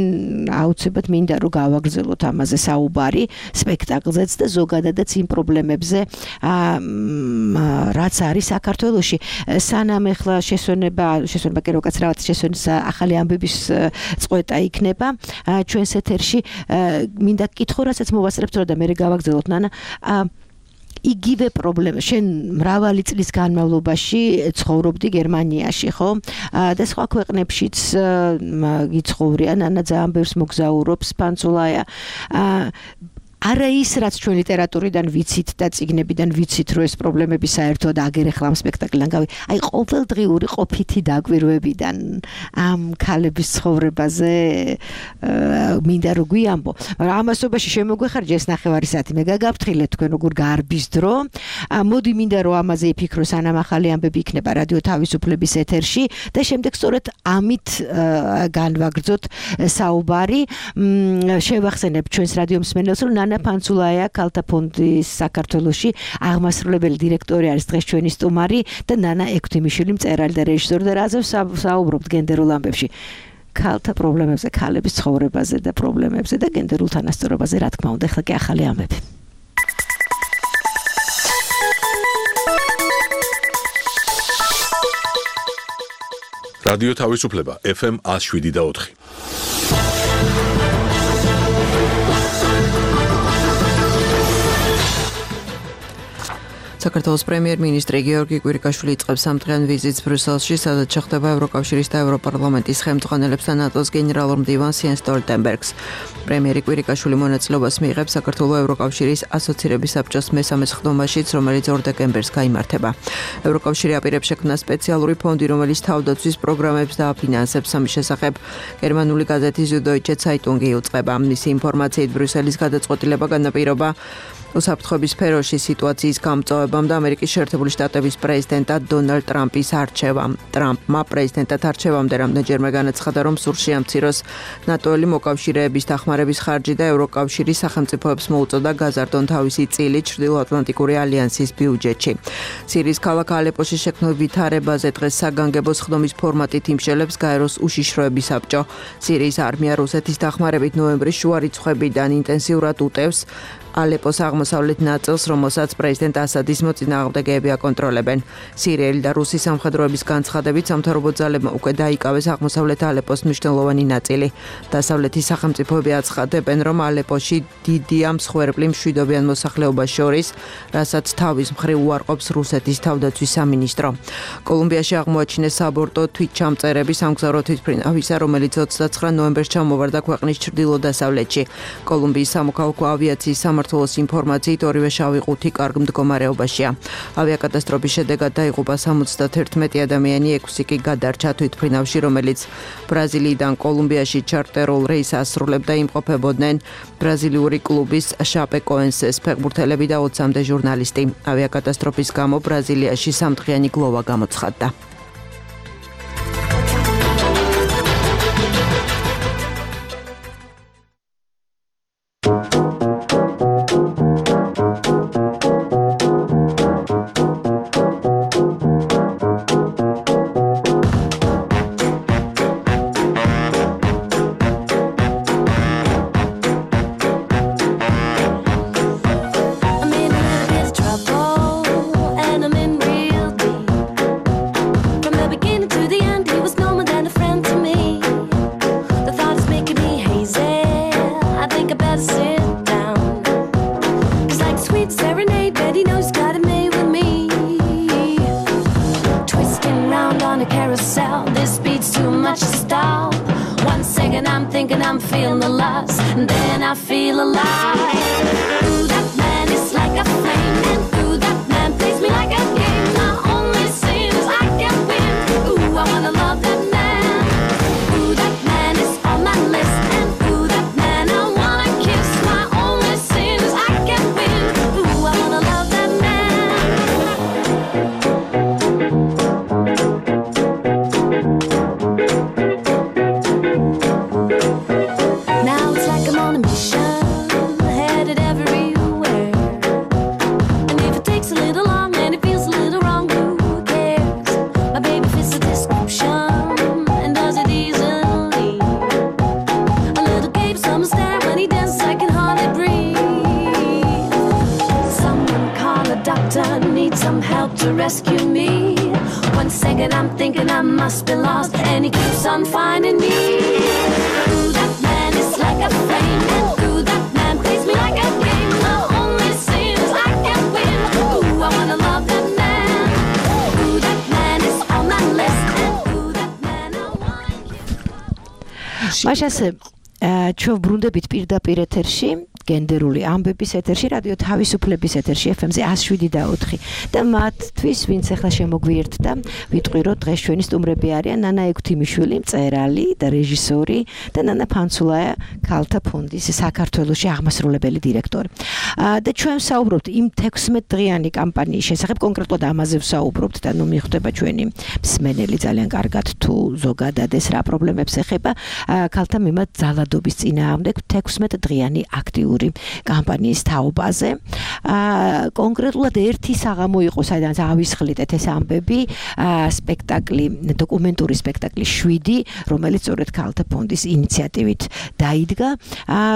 აუცილებლად მინდა რომ გავაგრძელოთ ამაზე საუბარი სპექტაკლზეც და ზოგადადაც იმ პრობლემებზე რაც არის საქართველოში სანამ ეხლა შესვენება შესვენება კი როგორც რაღაც შესვენის ახალი ამბების წყვეტა იქნება ჩვენს ეთერში მინდა კითხო რასაც მოვასწრებთ და მე გავაგრძელოთ ნანა იგივე პრობლემა შენ მრავალი წლის განმავლობაში ცხოვრობდი გერმანიაში ხო და სხვა ქვეყნებშიც გიცხოვრია ნანა ძალიან ბევრს მოგზაურობს ფანცულაია არა ის რაც ჩვენ ლიტერატურიდან ვიცით და წიგნებიდან ვიცით რომ ეს პრობლემები საერთოდ აგერ ახლა ამ სპექტაკლიდან გავი აი ყოველდღიური ყოფითი დაკვირვებიდან ამ ქალების ცხოვრებაზე მინდა რომ გვიამბო მაგრამ ამასობაში შემოგვეხარჯა ეს ნახევარი საათი მე გაგაფრთხილეთ თქვენ როგორ გარბის დრო მოდი მინდა რომ ამაზე იფიქრო სანამ ახალი ამბები იქნება რადიო თავისუფლების ეთერში და შემდეგ სწორედ ამით განვაგრძოთ საუბარი შევახსენებ ჩვენს რადიო მსმენელს რომ ნანა ფანცულაია ქალთა ფონდის საქართველოში აღმასრულებელი დირექტორი არის დღეს ჩვენი სტუმარი და ნანა ექვთიმიშვილი მწერალი და რეჟისორი და რაზე საუბრობთ გენდერულ ამბებში ქალთა პრობლემებზე, ქალების ცხოვრებაზე და პრობლემებზე და გენდერულ თანასწორობაზე, რა თქმა უნდა, ახლა კი ახალი ამბები. რადიო თავისუფლება ეფ ემ one oh seven და four. საქართველოს პრემიერ-მინისტრი გიორგი კვირიკაშვილი იწყებს სამდღიან ვიზიტს ბრიუსელში, სადაც შეხვდება ევროკავშირის და ევროპარლამენტის ხელმძღვანელებს და ნატოს გენერალურ მდივანს იენს სტოლტენბერგს. პრემიერი კვირიკაშვილი მონაწილეობას მიიღებს საქართველოს ევროკავშირის ასოცირების საბჭოს მესამე სხდომაშიც, რომელიც ორ დეკემბერს გაიმართება. ევროკავშირი აპირებს შექმნა სპეციალური ფონდი, რომელიც თავდაცვის პროგრამებს დააფინანსებს. ამის შესახებ გერმანული გაზეთი Süddeutsche Zeitung იუწყება. მისი ინფორმაციით ბრიუსელის გადაწყვეტილება განაპირობა უსაფრთხოების სფეროში სიტუაციის გამწვავებამ და ამერიკის შეერთებული შტატების პრეზიდენტად დონალდ ტრამპის არჩევამ. ტრამპმა პრეზიდენტად არჩევამდე რამდენჯერმე განაცხადა, რომ სურს შეამციროს ნატოელი მოკავშირეების დახმარების ხარჯი და ევროკავშირის სახელმწიფოებს მოუწოდა გაზარდონ თავისი წილი ჩრდილოატლანტიკური ალიანსის ბიუჯეტში. სირიის ქალაქ ალეპოში შექმნილ ვითარებაზე დღეს საგანგებო სხდომის ფორმატით იმშელებს გაეროს უშიშროების საბჭო. სირიის არმია რუსეთის დახმარებით ნოემბრის შუა რიცხვებიდან ინტენსიურად უტევს ალეპოს აღმოსავლეთ ნაწილს, რომელსაც პრეზიდენტ ასადის მოწინააღმდეგეები აკონტროლებენ. სირიელი და რუსი სამხედროების განცხადებით სამთავრობო ძალებმა უკვე დაიკავეს აღმოსავლეთ ალეპოს მნიშვნელოვანი ნაწილი. დასავლეთის სახელმწიფოები აცხადებენ, რომ ალეპოში დიდია მსხვერპლი მშვიდობიან მოსახლეობას შორის, რასაც თავის მხრივ უარყოფს რუსეთის თავდაცვის სამინისტრო. კოლუმბიაში აღმოაჩინეს საბორტო თვითჩამწერები სამგზავრო თვითმფრინავისა, რომელიც ოცდაცხრა ნოემბერს ჩამოვარდა ქვეყნის ჩრდილო-დასავლეთში. კოლუმბიის სამოქალაქო ავიაციის სამმართველოს ინფორმაციით ორივე შავი ყუთი კარგ მდგომარეობაშია. ავიაკატასტროფის შედეგად დაიღუპა სამოცდაერთმეტი ადამიანი, ექვსი კი გადარჩა თვითმფრინავში, რომელიც ბრაზილიიდან კოლუმბიაში ჩარტერულ რეისს ასრულებდა, იმყოფებოდნენ ბრაზილიური კლუბის შაპეკოენსეს ფეხბურთელები და ოცამდე ჟურნალისტი. ავიაკატასტროფის გამო ბრაზილიაში სამდღიანი გლოვა გამოცხადდა. მაშასე ჩვენ ბრუნდებით პირდაპირ ეთერში გენდერული ამბების ეთერში, რადიო თავისუფლების ეთერში ეფ ემ-ზე one oh seven და ოთხი და მათთვის, ვინც ახლა შემოგვიერთდა, ვიტყვი, რომ დღეს ჩვენი სტუმრები არიან ნანა ექვთიმიშვილი, მწერალი და რეჟისორი და ნანა ფანცულაია, ქალთა ფონდის საქართველოში აღმასრულებელი დირექტორი. და ჩვენ ვსაუბრობთ იმ თექვსმეტ დღიანი კამპანიის შესახებ, კონკრეტულად ამაზე ვსაუბრობთ და ნუ მიხვდება ჩვენი მსმენელი ძალიან კარგად თუ ზოგადად ეს რა პრობლემებს ეხება ქალთა მიმართ ძალადობის წინააღმდეგ თექვსმეტ დღიანი აქტიური კამპანიის თაობაზე. კონკრეტულად ერთი საღამო იყო, საიდანაც ავისხლიდეთ ეს ამბები, სპექტაკლი, დოკუმენტური სპექტაკლი შვიდი, რომელიც სწორედ ქალთა ფონდის ინიციატივით დაიდგა.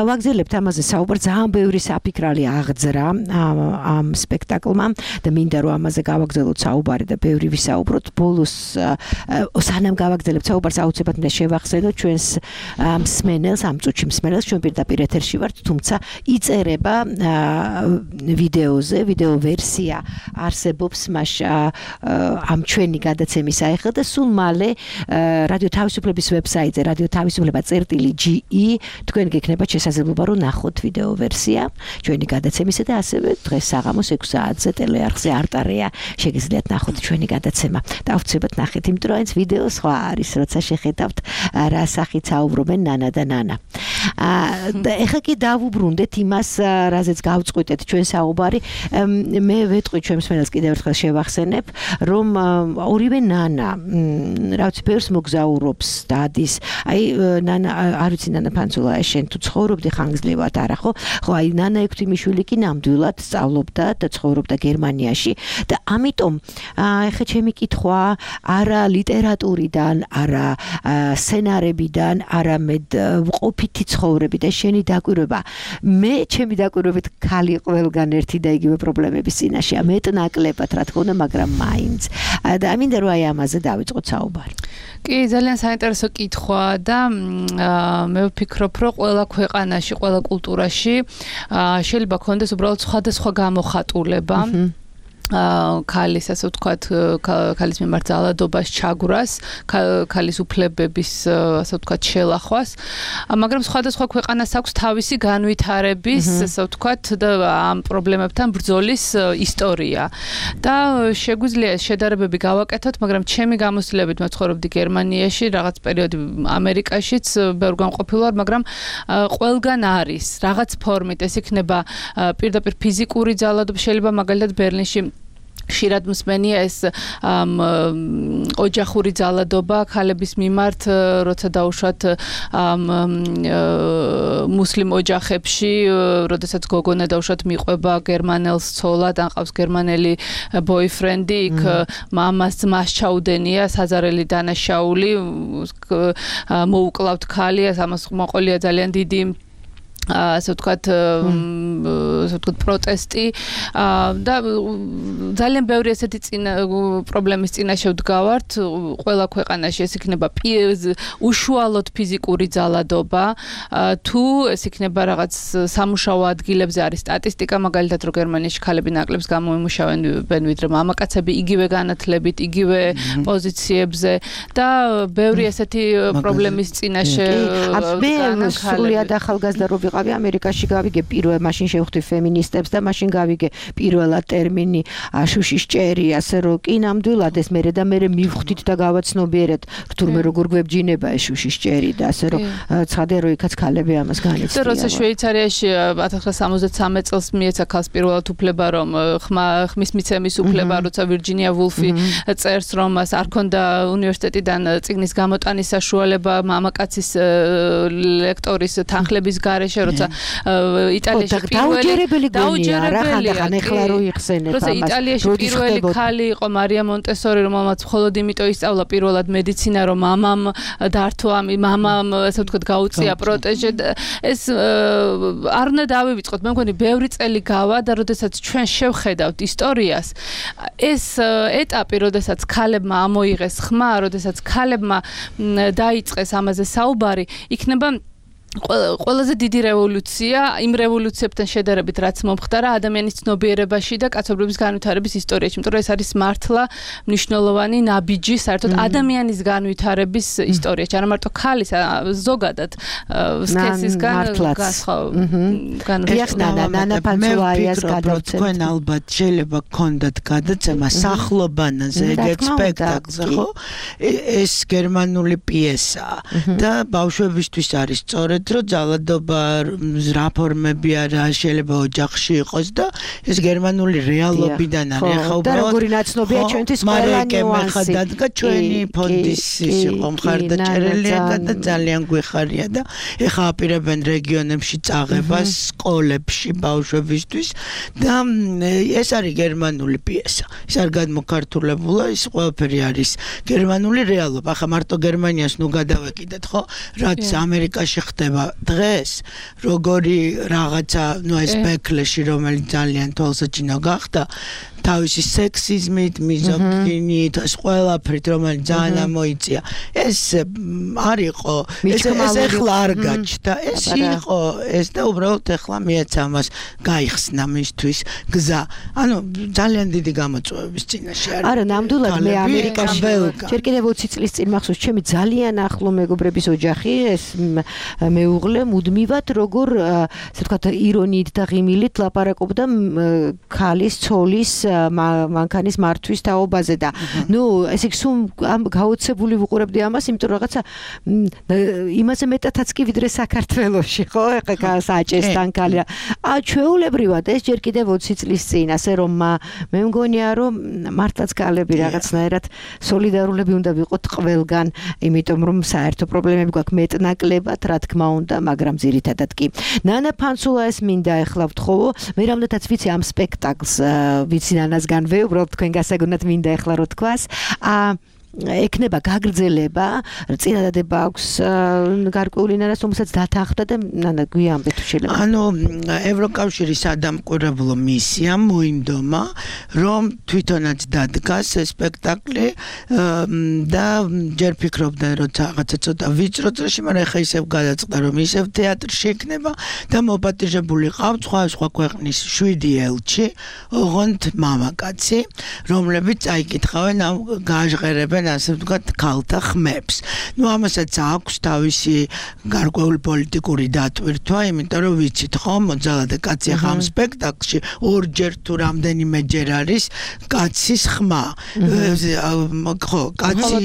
ვაგზელებთ ამაზე საუბარს, ძალიან ბევრი საფიქრალი აღძრა ამ სპექტაკლმა და მინდა რომ ამაზე გავაგზავნოთ საუბარი და ბევრი ვისაუბროთ. ბოლოს სანამ გავაგზავნებთ საუბარს, აუცილებლად მინდა შევახსენოთ ჩვენს მსმენელს, ამ წუთში მსმენელს, ჩვენ პირდაპირ ეთერში ვართ, თუმცა იწერება ვიდეოზე, ვიდეო ვერსია არსებობს მას ამ ჩვენი გადაცემის აიხსნა და სულ მალე რადიო თავისუფლების ვებსაიტზე რადიო თავისუფლება წერტილი ჯი ი თქვენ გექნებათ შესაძლებლობა რომ ნახოთ ვიდეო ვერსია ჩვენი გადაცემისა და ასევე დღეს საღამოს ექვსი საათზე ტელეარხზე არტარია შეგიძლიათ ნახოთ ჩვენი გადაცემა და აუცილებლად ნახეთ, იმიტომ რომ ეს ვიდეო სხვა არის, როცა შეხედავთ რა სახით საუბრობენ ნანა და ნანა. და ეხლა კი დავუბრუნდეთ იმას, რაზეც გავწყვიტეთ ჩვენ საუბარი. მე ვეტყვი ჩვენ მსმენელს კიდევ ერთხელ შევახსენებ, რომ ორივე ნანა, რა ვიცი, ბევრს მოგზაურობს და ადის. აი ნანა, არ ვიცი ნანა ფანცულაია, შენ თუ ცხოვრობდი ხანგრძლივად არა ხო? ხო, აი ნანა ექვთიმიშვილი კი ნამდვილად სწავლობდა და ცხოვრობდა გერმანიაში და ამიტომ ეხლა ჩემი კითხვა არა ლიტერატურიდან, არა სცენარებიდან, არამედ ყოფითი ცხოვრები და შენი დაკვირვება. მე ჩემი დაკვირვებით ქალი ყველგან ერთი და იგივე პრობლემების წინაშეა, მეტნაკლებად რა თქმა უნდა, მაგრამ მაინც. და ამინდა რომ აი ამაზე დავიწყოთ საუბარი. კი, ძალიან საინტერესო კითხვა და მე ვფიქრობ, რომ ყველა ქვეყანაში, ყველა კულტურაში შეიძლება ქონდეს უბრალოდ სხვადასხვა გამოხატულება. ქალის, ასე ვთქვათ, ქალის მიმართ ძალადობას, ჩაგვრას, ქალის უფლებების, ასე ვთქვათ, შელახვას, მაგრამ სხვადასხვა ქვეყანას აქვს თავისი განვითარების, ასე ვთქვათ, და ამ პრობლემებთან ბრძოლის ისტორია. და შეგვიძლია შედარებები გავაკეთოთ, მაგრამ ჩემი გამოცდილებით მე ცხოვრობდი გერმანიაში, რაღაც პერიოდი ამერიკაშიც, ბევრგან ყოფილვარ, მაგრამ ყველგან არის რაღაც ფორმით, ეს იქნება პირდაპირ ფიზიკური ძალადობა, შეიძლება მაგალითად ბერლინში ხშირად მსმენია ეს ოჯახური ძალადობა ქალების მიმართ, როცა დაუშვათ მუსლიმ ოჯახებში, როდესაც გოგონა დაუშვათ მიყვება გერმანელს ცოლად, ან ყავს გერმანელი ბოიფრენდი, იქ მამას ძმას ჩაუდენია, საზარელი დანაშაული, მოუკლავთ ქალი, ამას მოყოლია ძალიან დიდი ასე ვთქვათ, ასე ვთქვათ, პროტესტი და ძალიან ბევრი ესეთი წინა პრობლემის წინაშე ვდგავართ ყველა ქვეყანაში. ეს იქნება უშუალოდ ფიზიკური ძალადობა, თუ ეს იქნება რაღაც სამუშაო ადგილებზე არის სტატისტიკა, მაგალითად რომ გერმანიაში ქალები ნაკლებს გამოიმუშავენ ვიდრე მამაკაცები, იგივე განათლებით, იგივე პოზიციებზე და ბევრი ესეთი პრობლემის წინაშე მე სრულიად ახალგაზრდა რო ვიყავი ამერიკაში, გავიგე პირველ მაშინ შევხვდი ფემინისტებს და მაშინ გავიგე პირველად ტერმინი შუშის ჭერი, ასე რომ კი ნამდვილად ეს მერე და მერე მივხვდით და გავაცნობიერეთ, თურმე როგორ გვებჯინება ეს შუშის ჭერი და ასე რომ ცხადია რომ იქაც ქალები ამას განიცდიან. და როცა შვეიცარიაში ათას ცხრაასა სამოცდათსამეტ წელს მიეცა ქალს პირველად უფლება, რომ ხმის მიცემის უფლება, როცა ვირჯინია ვულფი წერს, რომ მას არ ქონდა უნივერსიტეტიდან წიგნის გამოტანის საშუალება მამაკაცის ლექტორის თანხლების გარეშე, როცა იტალიაში დაუჯერებელი გონია რა ხანდახან ეხლა რო იხსენებ ამას. როცა იტალიაში პირველი ქალი იყო მარია მონტესორი, რომელმაც მხოლოდ იმიტომ ისწავლა პირველად მედიცინა, რომ მამამ დართო ამ მამამ, ასე ვთქვათ, გაუწია პროტეჟე. ეს არ უნდა დავივიწყოთ, მე მგონი ბევრი წელი გავა და როდესაც ჩვენ შევხედავთ ისტორიას, ეს ეტაპი, როდესაც ქალებმა ამოიღეს ხმა, როდესაც ქალებმა დაიწყეს ამაზე საუბარი, იქნება ყველაზე დიდი რევოლუცია იმ რევოლუციებთან შედარებით რაც მომხდარა ადამიანის ცნობიერებაში და კაცობრიობის განვითარების ისტორიაში, იმიტომ რომ ეს არის მართლა მნიშვნელოვანი ნაბიჯი საერთოდ ადამიანის განვითარების ისტორიაში, არა მარტო ქალის, ზოგადად სქესისგან განვითარების თქვენ ალბათ შეიძლება გქონდათ გადაცემა სახლობანაზე ეგ სპექტაკლზე, ხო? ეს გერმანული პიესაა და ბავშვებისთვის არის სწორედ რომ ძალადობა რაფორმები არა შეიძლება ოჯახში იყოს და ეს გერმანული რეალობიდან არის ახლა უბრალოდ და როგორი ნაცნობია ჩვენთვის ყველა ნიუანსი დადგა ჩვენი ფონდის ის იყო მხარდაჭერილი და ძალიან გვეხარია და ეხა აპირებენ რეგიონებში წაღებას სკოლებში ბავშვებისთვის და ეს არის გერმანული პიესა ის არ გადმოქართულებულა ის ყველაფერი არის გერმანული რეალობა ახლა მარტო გერმანიას ნუ გადავეკიდეთ ხო რაც ამერიკაში ხდება დღეს როგორი რაღაცა ნუ ეს ბეკლეში რომელიც ძალიან თვალსაჩინო გახდა თავისი სექსიზმით, მიზოგინით, ეს ყველაფრით რომელიც ძალიან ამოიწია. ეს არ იყო, ეს ეხლა არ გაჩნდა. ეს იყო, ეს და უბრალოდ ეხლა მეც ამას გაიხსნა მისთვის გზა. ანუ ძალიან დიდი გამოწვევების წინაშე არის. არა, ნამდვილად მე ამერიკაში ჯერ კიდევ ოცი წლის წინ მახსოვს, ჩემი ძალიან ახლო მეგობრების ოჯახი, ეს მეუღლე მუდმივად როგორ, ასე ვთქვათ, ირონიით და ღიმილით ლაპარაკობდა ქალის, ცოლის მანქანის მართვის თაობაზე და ნუ ესე იგი სულ გაოცებული ვუყურებდი ამას, იმიტომ რომ რაღაცა იმაზე მეტადაც კი ვიდრე საქართველოში, ხო? ეხლა საჭესთან ქალი. ა ჩვეულებრივად ეს ჯერ კიდევ ოცი წლის წინ, ასე რომ მე მგონია რომ მართლაც ქალები რაღაცნაირად სოლიდარულები უნდა ვიყოთ ყველგან, იმიტომ რომ საერთო პრობლემები გვაქვს მეტნაკლებად, რა თქმა უნდა, მაგრამ ძირითადად კი. ნანა ფანცულა ეს მინდა ეხლა ვთხოვო, მე რამდენადაც ვიცი ამ სპექტაკლს ვიცი ნანასგან ვე, უბრალოდ თქვენ გასაგონად მინდა ეხლა რო თქვას. აა ეკნება გაგრძელება, წინადადება აქვს გარკვეული ნანას, რომელსაც დათანხმდა და ნანა გვიამბე თუ შეიძლება. ანუ ევროკავშირის სადამკვირვებლო მისიამ მოინდომა, რომ თვითონაც დადგას ეს სპექტაკლი და ჯერ ფიქრობდნენ, რომ რაღაცა ცოტა ვიწრო წრეში, მაგრამ ეხა ისევ გადაწყდა, რომ ისევ თეატრში იქნება და მოპატიჟებული ყავთ სხვა სხვა ქვეყნის შვიდი ელჩი, ოღონდ მამაკაცი, რომლებიც წაიკითხავენ ამ გააჟღერებენ ასე ვთქვათ ქალთა ხმებს. ნუ ამასაც აქვს თავისი გარკვეული პოლიტიკური დატვირთვა, იმიტომ რომ ვიცით ხო, მოძალადე კაცი ახლა ამ სპექტაკლში ორჯერ თუ რამდენიმეჯერ არის კაცის ხმა. ხო, კაცი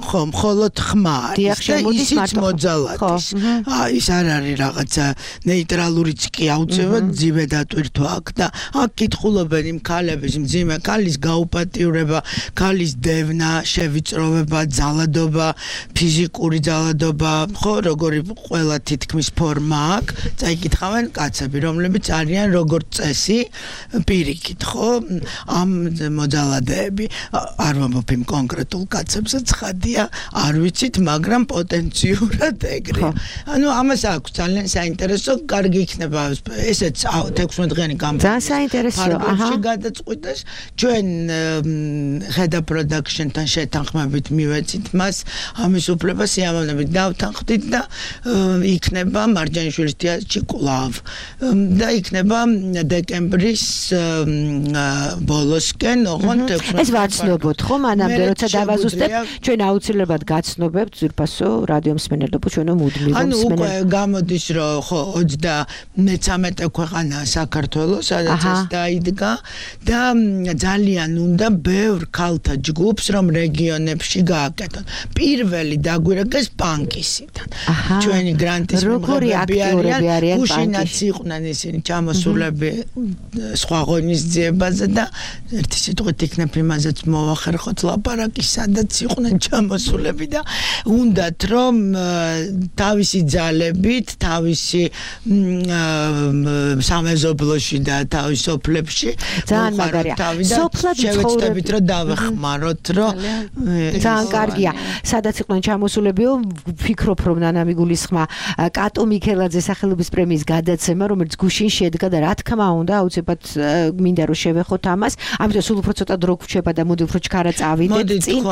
ხო, მხოლოდ ხმა არის და ისიც მოძალადის. აი, ის არ არის რაღაცა ნეიტრალურიც კი აუცილებლად ძიმე დატვირთვა აქვს და აქ კითხულობენ იმ ქალების მძიმე ქალის გაუპატიურება, ქალის დევნა, შევიწროვება, ძალადობა, ფიზიკური ძალადობა, ხო, როგორი ყველა თითქმის ფორმა აქვს, წაიკითხავენ კაცები, რომლებიც არიან როგორც წესი, პირიქით, ხო, ამ მოძალადეები. არ ვამბობ იმ კონკრეტულ კაცებზე, ცხადია, არ ვიცით, მაგრამ პოტენციურად ეგრე. ანუ ამას აქვს ძალიან საინტერესო, კარგი იქნება ესეც თექვსმეტდღიანი კამპანია. ძალიან საინტერესო, აჰა. გადაწყვიტეს, ჩვენ ხედა პროდაქშენთან შეთანხმებით მივეცით მას ამის უფლება სიამოვნებით დავთანხმდით და იქნება მარჯანიშვილის თეატრში კვლავ და იქნება დეკემბრის ბოლოსკენ ოღონდ ეს ვაცნობოთ ხო მანამდე როცა დავაზუსტებთ ჩვენ აუცილებლად გაცნობებთ ძვირფასო რადიო მსმენელობა ჩვენო მუდმივ ანუ უკვე გამოდის რომ ხო ოცდამეცამეტე ქვეყანა საქართველოს სადაც ეს დაიდგა და ძალიან უნდა ბევრ ქალთა ჯგუფს რომ რეგიონებში გააკეთონ. პირველი დაგვირეკეს პანკისიდან. ჩვენი გრანტის მიღებები არიან, გუშინაც იყვნენ ისინი ჩამოსულები სხვა ღონისძიებაზე და ერთი სიტყვით იქნებ იმაზეც მოვახერხოთ ლაპარაკი, სადაც იყვნენ ჩამოსულები და უნდათ რომ თავისი ძალებით, თავისი სამეზობლოში და თავის სოფლებში ძალიან მაგარია. სოფლად შევეცდებით რომ დავეხმაროთ, რომ ძალიან კარგია. სადაც იყვნენ ჩამოსულებიო, ვფიქრობ რომ ნანა მიგულისხმა კატო მიქელაძეს სახელობის პრემიის გადაცემა, რომელიც გუშინ შედგა და რა თქმა უნდა, აუცილებლად მინდა რომ შევეხოთ ამას. ამიტომ სულ უფრო ცოტა დრო გვჩება და მოდი უფრო ჩქარა წავიდეთ წინ.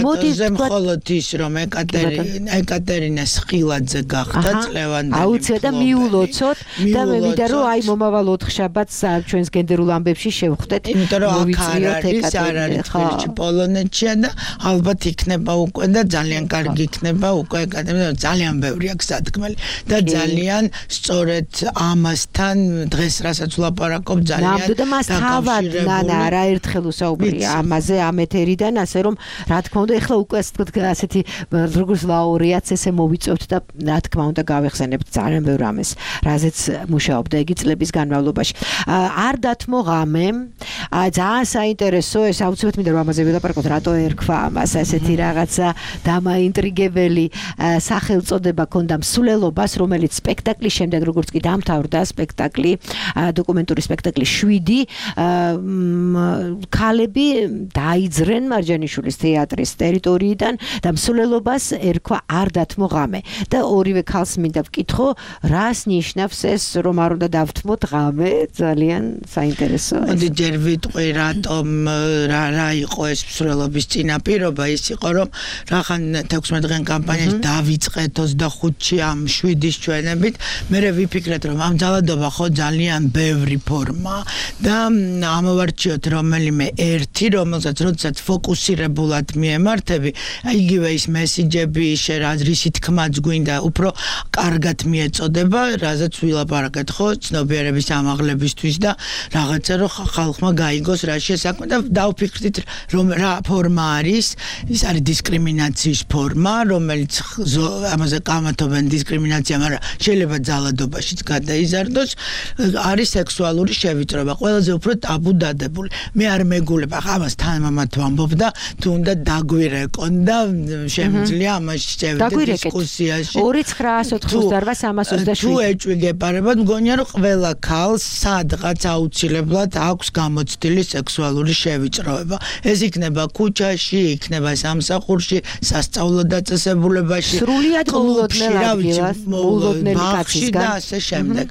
მოდი ვთქვათ, მხოლოდ ის რომ ეკატერინა ეკატერინას ხილაძე გახდა წლევანდელი. აუცილებლად და მიულოცოთ და მე მინდა რომ აი მომავალ ოთხშაბათს ჩვენს გენდერულ ამბებში შევხვდეთ. იმიტომ რომ აქ არ არის, არ არის თბილისში, პოლონეთშია და ალბათ იქნება უკვე და ძალიან კარგი იქნება უკვე ეკატერინა, ძალიან ბევრი აქვს სათქმელი და ძალიან სწორედ ამასთან დღეს რასაც ვლაპარაკობ ძალიან და მას თავად ნანა რა ერთხელ უსაუბრია ამაზე ამ ეთერიდან ასე რომ რა თქმა უნდა ეხლა უკვე ასეთი როგორც ლაურეატს ესე მოვიწევთ და რა თქმა უნდა გავეხსენებთ ძალიან ბევრ ამას რაზეც მუშაობდა იგი წლების განმავლობაში არ დათმო ღამე ძალიან საინტერესო ეს აუცილებლად მინდა რომ ამაზე ვილაპარაკოთ რატო ერქვა ამას ასეთი რაღაცა დამაინტრიგებელი სახელწოდება ქონდა მსვლელობას რომელიც სპექტაკლის შემდეგ როგორც კი დამთავრდა სპექტაკლი დოკუმენტური სპექტაკლი შვიდი ქალები დაიძრენ მარჯანიშვილის თეატრის ტერიტორიიდან და მსვლელობას ერქვა არ დათმო ღამე და ორივე ქალს მინდა ვკითხო რას ნიშნავს ეს რომ არ უნდა დავთმოთ ღამე ძალიან საინტერესოა მოდი ჯერ ვიტყვი რატომ რა რა იყო ეს მსვლელობის წინაპირობა ის იყო რომ რახან თექვსმეტ დღიან კამპანიაში დავიწყეთ ოცდახუთში ამ შვიდის ჩვენებით მე ვიფიქრეთ რომ ამ ძალადობა ხო ძალიან ბევრი ფორმა და ამოვარჩიოთ რომელიმე ერთი რომელსაც როდესაც ფოკუსირებულად მიემართები იგივე ის მესიჯები შერაზრისი თქმაც გვინდა უფრო კარგად მიეწოდება რაზეც ვილაპარაკეთ ხო ცნობიერების ამაღლებისთვის და რაღაცა რომ ხალხმა გაიგოს რა შესაქმე და დავფიქრდით რომ რა ფორმა არის ის არის დისკრიმინაციის ფორმა რომელიც ამაზე კამათობენ დისკრიმინაცია მაგრამ შეიძლება ძალადობაშიც გადაიზარდოს არის სექსუალური შევიწროება ყველაზე უფრო ტაბუ დადებული მე არ მეგულებ ახლა ამას თანამამად ვამბობდა თუ უნდა დაგვირეკონ და შემიძლია ამაში შევიდეთ დისკუსიაში ორი ცხრაას ოთხმოცდაოთხ სამას ოცდაშვიდი თუ ეჭვიგეპარებოდ მგონია რომ ყველა ქალს სადღაც აუცილებლად აქვს გამოცდილი სექსუალური შევიწროება ეს იქნება ქუჩაში იქნება სამსახურში სასწავლო დაწესებულებაში სრულიად მოულოდნელ ადგილას მოულოდნელი კაცის და ასე შემდეგ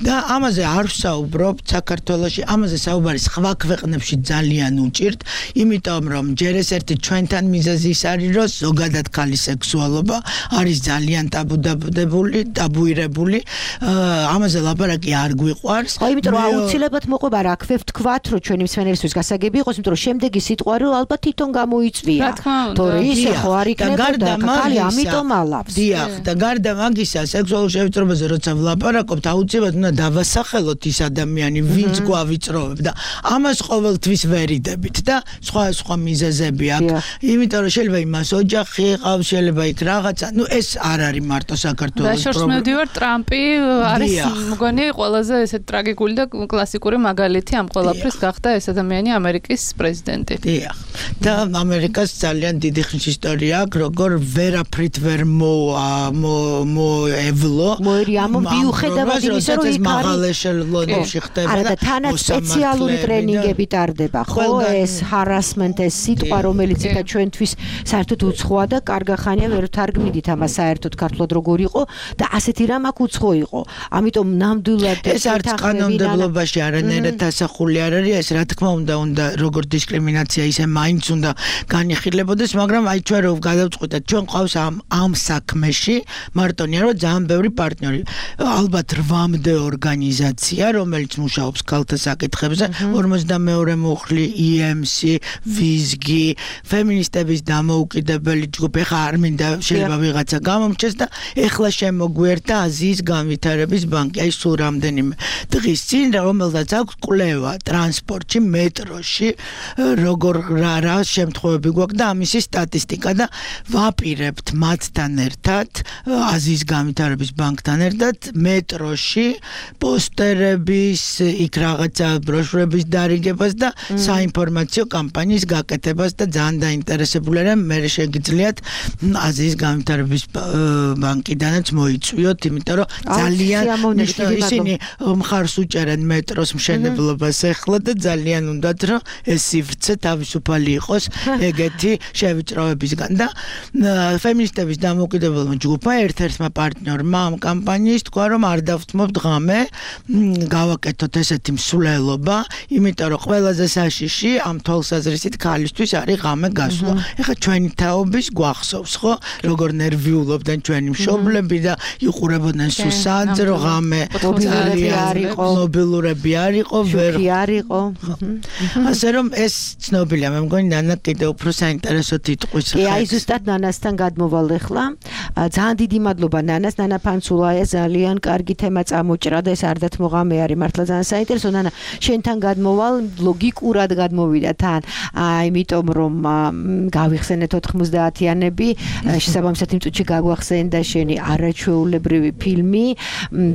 და ამაზე არ ვსაუბრობ საქართველოში ამაზე საუბარი სხვა ქვეყნებში ძალიან უჭირთ იმიტომ რომ ჯერ ეს ერთი ჩვენთან მიზეზი ის არის რომ ზოგადად ქალის სექსუალობა არის ძალიან ტაბუდებული ტაბუირებული ამაზე ლაპარაკი არ გვიყვარს ხო იმიტომ რომ აუცილებლად მოყვება რა ქვევ თქვათ რომ ჩვენი მსმენელისთვის გასაგები იყოს იმიტომ რომ შემდეგი სიტყვა რომ ალბათ თვითონ გამოიწვია თორე ისე ხო არ იქნება და ქალი ამიტომ ალავს დიახ და გარდა მაგისა სექსუალურ შევიწროებაზე როცა ვლაპარაკობთ აუცილებლად უნდა დავასახელოთ ის ადამიანი ვინც გვავიწროვებ და ამას ყოველთვის ვერიდებით და სხვა სხვა მიზეზები აქვს იმიტომ რომ შეიძლება იმას ოჯახი ყავს შეიძლება იქ რაღაცა ნუ ეს არ არის მარტო საქართველოს პრობლემა და შორს მედივარ ტრამპი არის მგონი ყველაზე ესეთ ტრაგიკული და კლასიკური მაგალითი ამ ყველაფრის გახდა ეს ადამიანი ამერიკის პრეზიდენტი დიახ და ამერიკას ძალიან დიდი ხნის ისტორია აქვს როგორ ვერაფრით ვერ მოევლო მოერიამო მიუხედავად იმისა რომ იქ არის ლონებში ხდება არა და თანაც სპეციალური ტრენინგები ტარდება ხო ეს ჰარასმენტ ეს სიტყვა რომელიც იქა ჩვენთვის საერთოდ უცხოა და კარგახანია ვერ ვთარგმნით ამას საერთოდ ქართულად როგორ იყო და ასეთი რამ აქ უცხო იყო ამიტომ ნამდვილად ეს არც კანონმდებლობაში არანაირად დასახული არ არის ეს რა თქმა უნდა უნდა როგორ დისკრიმინაცია ისე მაინც უნდა განიხილებოდეს მაგრამ აი ჩვენ რო გადავწყვიტეთ ჩვენ ყავს ამ ამ საქმეში მარტონია რომ ძალიან ბევრი პარტნიორი ალბათ რვამდე ორგანიზაცია რომელიც მუშაობს ქალთა საკითხებზე ორმოცდამეორე მუხლი ი ემ სი ვიზგი ფემინისტების დამოუკიდებელი ჯგუფი ხა არ მინდა შეიძლება ვიღაცა გამომჩეს და ეხლა შემოგვერთა აზიის განვითარების ბანკი აი სულ რამდენიმე დღის წინ რომელსაც აქვს კვლევა ტრანსპორტში მეტროში როგორ რა რა შემთხვევები გვაქვს და ამისი სტატისტიკა და ვაპირებთ მათთან ერთად აზიის განვითარების ბანკთან ერთად მეტროში პოსტერების იქ რაღაცა ბროშურების დარიგებას და საინფორმაციო კამპანიის გაკეთებას და ძალიან დაინტერესებული ვარ მე შეგიძლიათ აზიის განვითარების ბანკიდანაც მოიწვიოთ იმიტომ რომ ძალიან ისინი მხარს უჭერენ მეტროს მშენებლობას ეხლა და ძალიან უნდათ რომ ეს სივრცე თავისუფალი იყოს ეგეთი შევიწროებისგან და ფემინისტების დამოუკიდებელმა ჯგუფმა ერთ-ერთმა პარტნიორმა ამ კამპანიის თქვა რომ არ დავთმობთ ღამე გავაკეთოთ ესეთი მსვლელობა იმიტომ რომ ყველაზე საშიში ამ თვალსაზრისით ქალისთვის არის ღამე გასვლა ეხლა ჩვენი თაობის გვახსოვს ხო როგორ ნერვიულობდნენ ჩვენი მშობლები და იყურებოდნენ სუსადს რომ ღამე მობილურები არ იყო ვერ არ იყო ასე რომ ეს ცნობილია მე მგონი ნანა კიდევ უფრო საინტერესო თითქოს კი აი ზუსტად ნანასთან გადმოვალ ახლა ძალიან დიდი მადლობა ნანას ნანა ფანცულაია ძალიან კარგი თემა წამოჭრა და ეს არ დათმოღამე არის მართლა ძალიან საინტერესო ნანა შენთან გადმოვალ ლოგიკურად გადმოვიდა თან იმიტომ რომ გავიხსენეთ ოთხმოცდაათიანები შესაბამისად იმ წუთში გაგვახსენდა შენი არაჩვეულებრივი ფილმი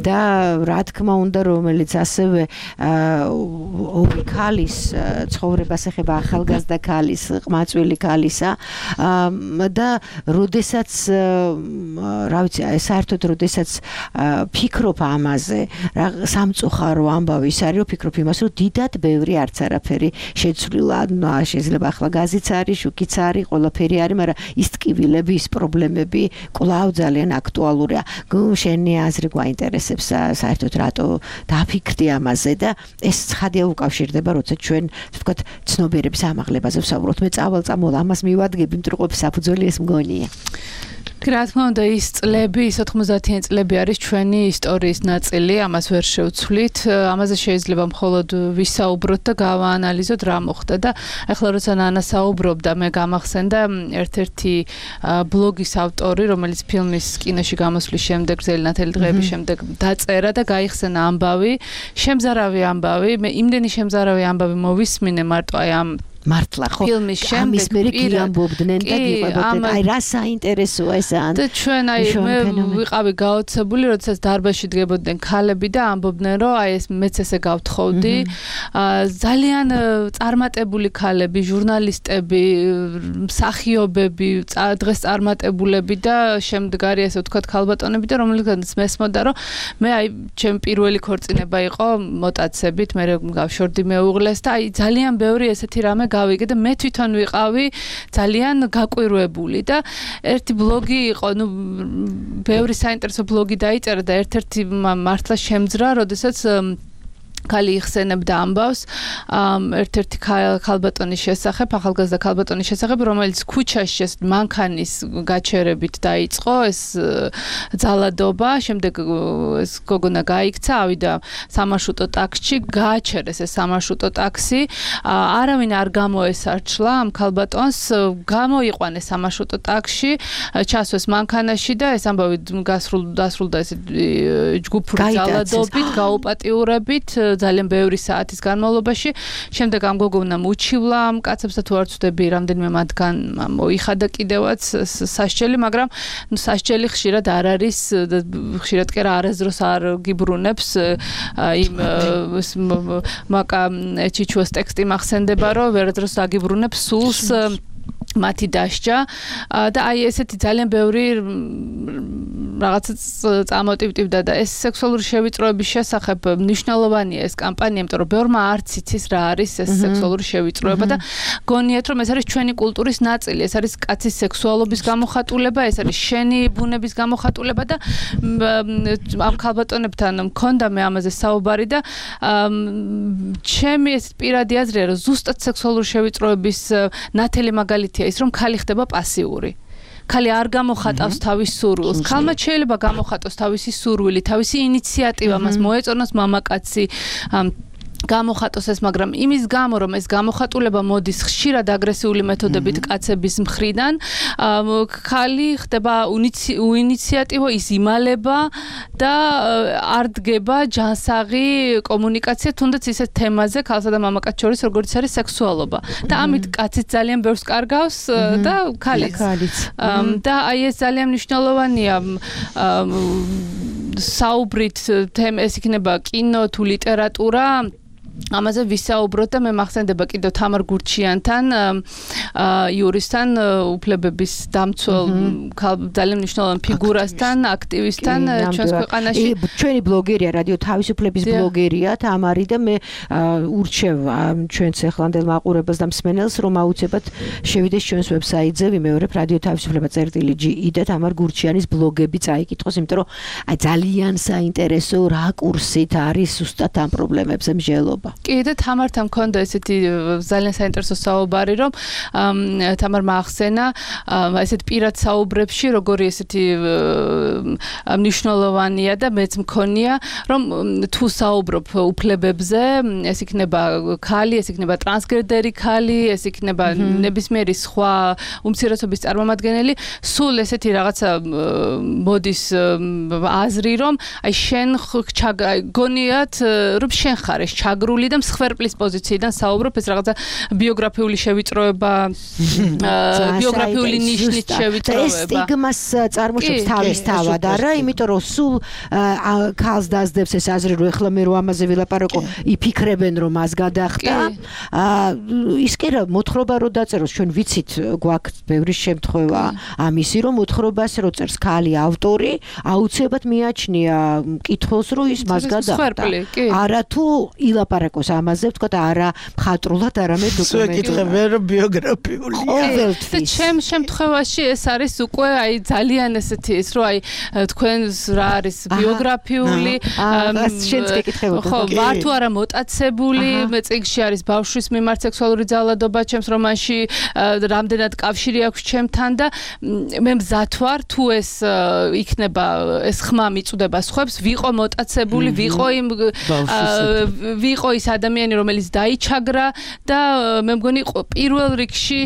და რა თქმა უნდა რომელიც ასევე ორი ქალის ცხოვრებას ეხება ახალგაზრდა ქალის ყმაწვილი ქალისა და როდესაც რა ვიცი საერთოდ როდესაც ფიქრობ ამაზე რა სამწუხარო ამბავი ის არის რომ ფიქრობ იმას რომ დიდად ბევრი არც არაფერი შეცვლილა შეიძლება ახლა გაზიც არის შუქიც არის ყველაფერი არის მაგრამ ის ტკივილები ის პრობლემები კვლავ ძალიან აქტუალურია შენი აზრი გვაინტერესებს საერთოდ რატო დაფიქრდი ამაზე და ეს ცხადია უკავშირდება როცა ჩვენ ვთქვათ ცნობიერების ამაღლებაზე ვსაუბრობთ მე წავალ-წამოვალ ამას მივადგები მტრუყოფი საფუძველი ეს მგონია რა თქმა უნდა ის წლები ის ოთხმოცდაათიანი წლები არის ჩვენი ისტორიის ნაწილი ამას ვერ შევცვლით ამაზე შეიძლება მხოლოდ ვისაუბროთ და გავაანალიზოთ რა მოხდა და ახლა როცა ნანა საუბრობდა მე გამახსენდა ერთ-ერთი ბლოგის ავტორი რომელიც ფილმის კინოში გამოსვლის შემდეგ გრძელი ნათელი დღეების შემდეგ დაწერა და გაიხსენა ამბავი შემზარავი ამბავი მე იმდენი შემზარავი ამბავი მოვისმინე მარტო აი ამ მართლა ხო ფილმის შემდეგ მერე გიამბობდნენ და გიყვებოდნენ აი რა საინტერესოა ეს ან და ჩვენ აი მე ვიყავი გაოცებული როდესაც დარბაზში დგებოდნენ ქალები და ამბობდნენ რომ აი ეს მეც ესე გავთხოვდი ძალიან წარმატებული ქალები ჟურნალისტები მსახიობები დღეს წარმატებულები და შემდგარი ესე ვთქვათ ქალბატონები და რომელიღაც მესმოდა რომ მე აი ჩემ პირველი ქორწინება იყო მოტაცებით მე გავშორდი მეუღლეს და აი ძალიან ბევრი ესეთი რამე გავიგე და მე თვითონ ვიყავი ძალიან გაკვირვებული და ერთი ბლოგი იყო, ნუ ბევრი საინტერესო ბლოგი დაიწერა და ერთ-ერთი მართლა შემძრა, როდესაც ქალი იხსენებდა ამბავს ერთ-ერთი ქალბატონის შესახებ, ახალგაზრდა ქალბატონის შესახებ, რომელიც ქუჩაში მანქანის გაჩერებით დაიწყო ეს ძალადობა, შემდეგ ეს გოგონა გაიქცა, ავიდა სამარშრუტო ტაქსში, გააჩერეს ეს სამარშრუტო ტაქსი, არავინ არ გამოესარჩლა ამ ქალბატონს, გამოიყვანეს სამარშრუტო ტაქსში, ჩასვეს მანქანაში და ეს ამბავი დასრულდა ეს ჯგუფური ძალადობით, გაუპატიურებით ძალიან ბევრი საათის განმავლობაში. შემდეგ ამ გოგონამ უჩივლა ამ კაცებს და თუ არ ვწდები, რამდენიმე მათგან მოიხადა კიდევაც სასჯელი, მაგრამ სასჯელი ხშირად არ არის, ხშირად კი არა არასდროს არ გიბრუნებს იმ მაკა ჩიჩუას ტექსტი მახსენდება, რომ ვერასდროს აგიბრუნებს სულს მათი დასჯა და აი ესეთი ძალიან ბევრი რაღაცა წამოტივტივდა და ეს სექსუალური შევიწროების შესახებ მნიშვნელოვანია ეს კამპანია, იმიტომ რომ ბევრმა არც იცის რა არის ეს სექსუალური შევიწროება და გონიათ რომ ეს არის ჩვენი კულტურის ნაწილი, ეს არის კაცის სექსუალობის გამოხატულება, ეს არის შენი ბუნების გამოხატულება და ამ ქალბატონებთან მქონდა მე ამაზე საუბარი და ჩემი ეს პირადი აზრია რომ ზუსტად სექსუალური შევიწროების ნათელი მაგალითია ის რომ ქალი ხდება პასიური. ქალი არ გამოხატავს თავის სურვილს. ქალმა შეიძლება გამოხატოს თავისი სურვილი, თავისი ინიციატივა, მას მოეწონოს მამაკაცი გამოხატოს ეს, მაგრამ იმის გამო რომ ეს გამოხატულება მოდის ხშირად აგრესიული მეთოდებით კაცების მხრიდან, ქალი ხდება უინიციატივო, ის იმალება და არ დგება ჯანსაღი კომუნიკაცია თუნდაც ისეთ თემაზე ქალსა და მამაკაც შორის, როგორც არის სექსუალობა. და ამით კაციც ძალიან ბევრს კარგავს და ქალიც. და აი ეს ძალიან მნიშვნელოვანია საუბრით თემ ეს იქნება კინო თუ ლიტერატურა ამაზე ვისაუბროთ და მე მახსენდება კიდევ თამარ გურჩიანთან იურისტთან უფლებების დამცველ ძალიან მნიშვნელოვან ფიგურასთან აქტივისტთან ჩვენს ქვეყანაში ჩვენი ბლოგერია რადიო თავისუფლების ბლოგერია თამარი და მე ურჩევ ჩვენს ეხლანდელ მაყურებელს და მსმენელს რომ აუცილებლად შევიდეს ჩვენს ვებსაიტზე ვიმეორებ რადიო თავისუფლება წერტილი ჯი ი და თამარ გურჩიანის ბლოგები წაიკითხოს იმიტომ რომ აი ძალიან საინტერესო რაკურსით არის ზუსტად ამ პრობლემებზე მსჯელობა კი და თამართან მქონდა ესეთი ძალიან საინტერესო საუბარი რომ თამარ მაახსენა ესეთ პირად საუბრებში როგორი ესეთი მნიშვნელოვანია და მეც მქონია რომ თუ საუბრობ უფლებებზე ეს იქნება ქალი ეს იქნება ტრანსგენდერი ქალი ეს იქნება ნებისმიერი სხვა უმცირესობის წარმომადგენელი სულ ესეთი რაღაცა მოდის აზრი რომ აი შენ გონიათ რომ შენ ხარ ეს ჩაგრული და მსხვერპლის პოზიციიდან საუბრობ ეს რაღაცა ბიოგრაფიული შევიწროება ბიოგრაფიული ნიშნით შევიწროება ეს სტიგმას წარმოშობს თავის თავად არა იმიტომ რომ სულ ქალს დაძდებს ეს აზრი რომ ეხლა მე რო ამაზე ვილაპარაკო იფიქრებენ რომ მას გადახტა ის კი რა მოთხრობა რო დაწეროს ჩვენ ვიცით გვაქვს ბევრი შემთხვევა ამისი რომ მოთხრობას რო წერს ქალი ავტორი აუცილებლად მიაჩნია მკითხველს რომ ის მას გადახტა არა თუ ილაპარაკოს ამაზე ვთქვათ არა მხატვრულად არამედ დოკუმენტურად რომ ბიოგრაფიული ყოველთვის ჩემ შემთხვევაში ეს არის უკვე აი ძალიან ესეთი ის რომ აი თქვენს რა არის ბიოგრაფიული შენც გეკითხებოდა ხო ვარ თუ არა მოტაცებული მე წიგში არის ბავშვის მიმართ სექსუალური ძალადობა ჩემს რომანში რამდენად კავშირი აქვს ჩემთან და მე მზად ვარ თუ ეს იქნება ეს ხმა მიწუდება სხვებს ვიყო მოტაცებული ვიყო იმ ვიყო ის ადამიანი რომელიც დაიჩაგრა და მე მგონი პირველ რიგში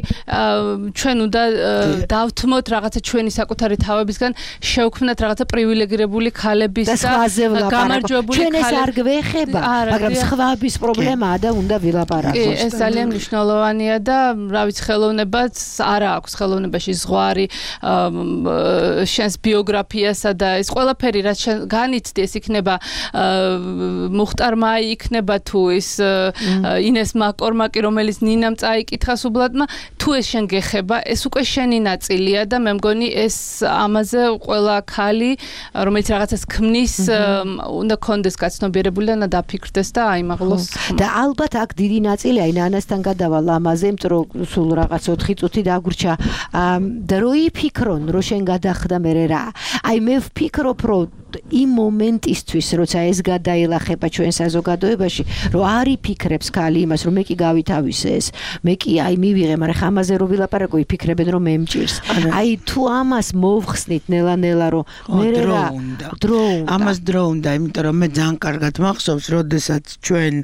ჩვენ უნდა დავთმოთ რაღაცა ჩვენი საკუთარი თავებისგან შევქმნათ რაღაცა პრივილეგირებული ქალების და გამარჯვებული ჩვენ ეს არ გვეხება მაგრამ სხვების პრობლემაა და უნდა ვილაპარაკოს ეს ძალიან მნიშვნელოვანია და რა ვიცი ხელოვნებაც არა აქვს ხელოვნებაში ზღვარი შენს ბიოგრაფიასა და ეს ყველაფერი რაც განიცდი ეს იქნება მუხტარმა იქნება თუ ის ინეს მაკორმაკი რომელიც ნინამ წაიკითხა სუბლატმა თუ ეს შენ გეხება ეს უკვე შენი ნაწილია და მე მგონი ეს ამაზე ყველა ქალი რომელიც რაღაცას ქმნის უნდა კონდეს გაცნობიერებული და დაფიქრდეს და აიმაღლოს და ალბათ აქ დიდი ნაწილი აი ნანასთან გადავალ ამაზე იმიტომ რომ სულ რაღაც ოთხი წუთი დაგვრჩა და რო იფიქრონ რომ შენ გადახდა მე რა აი მე ვფიქრობ რომ იმ მომენტისთვის როცა ეს გადაილახება ჩვენ საზოგადოებაში რომ არ იფიქრებს ქალი იმას რომ მე კი გავითავისე ეს მე კი აი მივიღე მაგრამ ხა ამაზე რო ვილაპარაკო იფიქრებენ რომ მე მჭირს აი თუ ამას მოვხსნით ნელა-ნელა რომ მე რა დრო უნდა ამას დრო უნდა იმიტომ რომ მე ძალიან კარგად მახსოვს როდესაც ჩვენ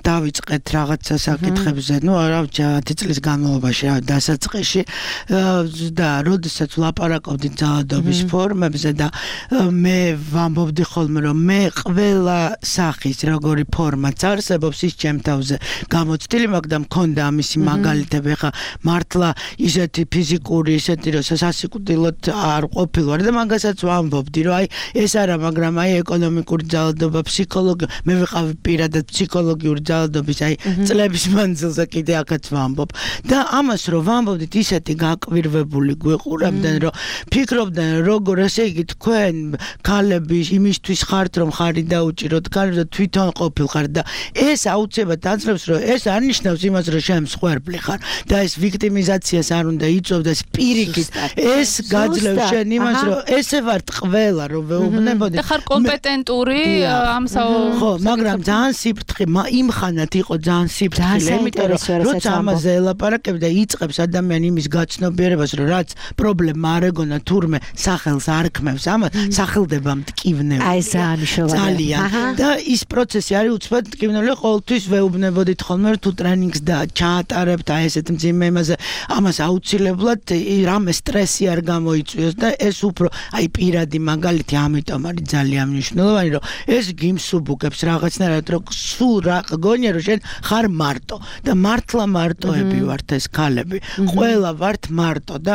დავიწყეთ რაღაცა საკითხებზე ნუ არა ათი წლის განმავლობაში დასაწყისში და როდესაც ვლაპარაკობდით ძალადობის ფორმებზე და მე ვამბობდი ხოლმე რომ მე ყველა სახის როგორი ფორმაც არსებობს ის ჩემ თავზე გამოცდილი მაქვს და მქონდა ამისი მაგალითები ხა მართლა ისეთი ფიზიკური ისეთი რომ სასიკვდილოდ არ ყოფილვარ და მაგასაც ვამბობდი რომ აი ეს არა მაგრამ აი ეკონომიკური ძალადობა ფსიქოლოგი მე ვიყავი პირადად ფსიქოლოგიური ძალადობის აი წლების მანძილზე კიდე აქაც ვამბობ და ამას რომ ვამბობდით ისეთი გაკვირვებული გვეყურებდნენ რომ ფიქრობდნენ როგორ ესე იგი თქვენ ქალები იმისთვის ხართ რომ ხარი დაუჭიროთ ქალი და თვითონ ყოფილხარ და ეს აუცილებლად აძლევს რომ ეს არ ნიშნავს იმას რომ შენ მსხვერპლი ხარ და ეს ვიქტიმიზაციას არ უნდა იწოვდეს პირიქით ეს გაძლევს შენ იმას რომ ესე ვართ ყველა რომ ვეუბნებოდი და ხარ კომპეტენტური ამ ხო მაგრამ ძალიან სიფრთხილე იმ ხანად იყო ძალიან სიფრთხილე იმიტომ რომ როცა ამაზე ელაპარაკებ და იწყებს ადამიანი იმის გაცნობიერებას რომ რაც პრობლემა არ ეგონა თურმე სახელს არ ქმევს ამას სახელდება მტკივნეული აი ძალიან და ის პროცესი არის უცბად მტკივნეული ყოველთვის ვეუბნებოდით ხოლმე რომ თუ ტრენინგს და ჩაატარებთ აი ესეთ მძიმე იმაზე ამას აუცილებლად რამე სტრესი არ გამოიწვიოს და ეს უფრო აი პირადი მაგალითი ამიტომ არის ძალიან მნიშვნელოვანი რომ ეს გიმსუბუქებს რაღაცნაირად რომ სულ რა გონია რომ შენ ხარ მარტო და მართლა მარტოები ვართ ეს ქალები ყველა ვართ მარტო და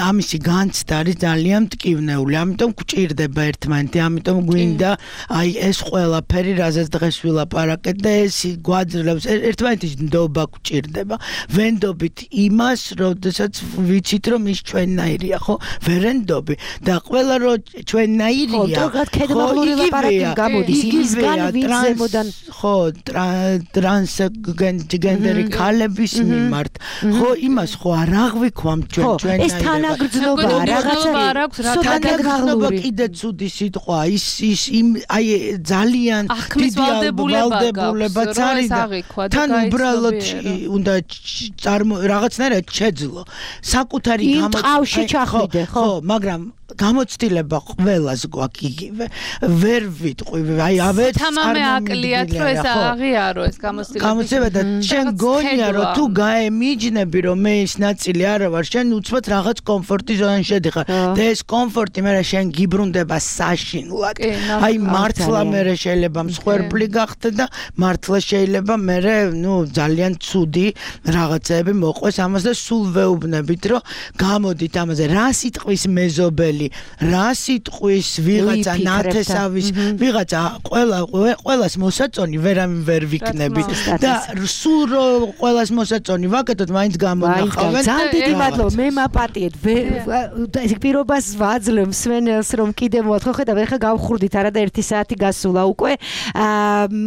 ამისი განცდა არის ძალიან მტკივნეული ამიტომ გვჭირდება ერთმანეთს პაციენტი, ამიტომ გვინდა აი ეს ყველაფერი, რაზეც დღეს ვილაპარაკეთ და ეს გვაძლევს ერთმანეთის ნდობა გვჭირდება. ვენდობით იმას, როდესაც ვიცით რომ ის ჩვენნაირია, ხო? ვერენდობი და ყველა რო ჩვენნაირია. ხო, კედმაღლური ლაპარაკი გამოდის იმისგან, ვინც ზემოდან ხო, ტრანსგენდერი ქალების მიმართ. ხო, იმას ხო არ აღვიქვამ ჩვენ ჩვენნაირება. ეს თანაგრძნობა რაღაცა თანაგრძნობა კიდე ცუდი სიტყვა. ის ის იმ აი ძალიან დიდი ვალდებულებაც არის და თან უბრალოდ უნდა რაღაცნაირად შეძლო. საკუთარი გამოცდილება ჩახვიდე, ხო, მაგრამ გამოცდილება ყველას გვაქვს იგივე. ვერ ვიტყვი, აი ავეც თამამე აკლიათ, რომ ეს აღიარო ეს გამოცდილება. გამოცდილება და შენ გონია რომ თუ გაემიჯნები რომ მე ის ნაწილი არა ვარ, შენ უცბად რაღაც კომფორტის ზონაში შედიხარ და ეს კომფორტი მე შენ გიბრუნდება საშინლად. აი მართლა მე შეიძლება მსხვერპლი გახდე და მართლა შეიძლება მე ნუ ძალიან ცუდი რაღაცები მოყვეს ამას და სულ ვეუბნებით რომ გამოდით ამაზე რა სიტყვის მეზობელი რა სიტყვის ვიღაცა ნათესავის ვიღაცა ყველა ყველას მოსაწონი ვერამი ვერ ვიქნები და სულ რომ ყველას მოსაწონი ვაკეთოთ მაინც გამონახავენ ძალიან დიდი მადლობა მე მაპატიეთ ეს პირობას ვაძლევ მსმენელს რომ კიდე მოათხო ხედავ ეხლა გავხურდით არა და ერთი საათი გასულა უკვე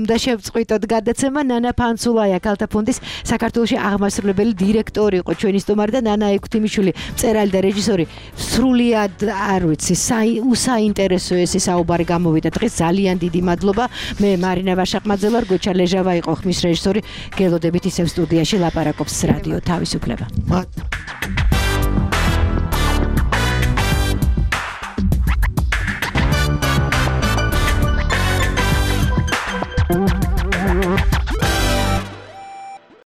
და შევწყვიტოთ გადაცემა ნანა ფანცულაია ქალთა ფონდის საქართველოში აღმასრულებელი დირექტორი იყო ჩვენი სტუმარი და ნანა ექვთიმიშვილი მწერალი და რეჟისორი სრულიად არ ვიცი საინტერესო ეს საუბარი გამოვიდა დღეს ძალიან დიდი მადლობა მე მარინა ვაშაყმაძე ვარ გოჩა ლეჟავა იყო ხმის რეჟისორი გელოდებით ისევ სტუდიაში ლაპარაკობს რადიო თავისუფლება.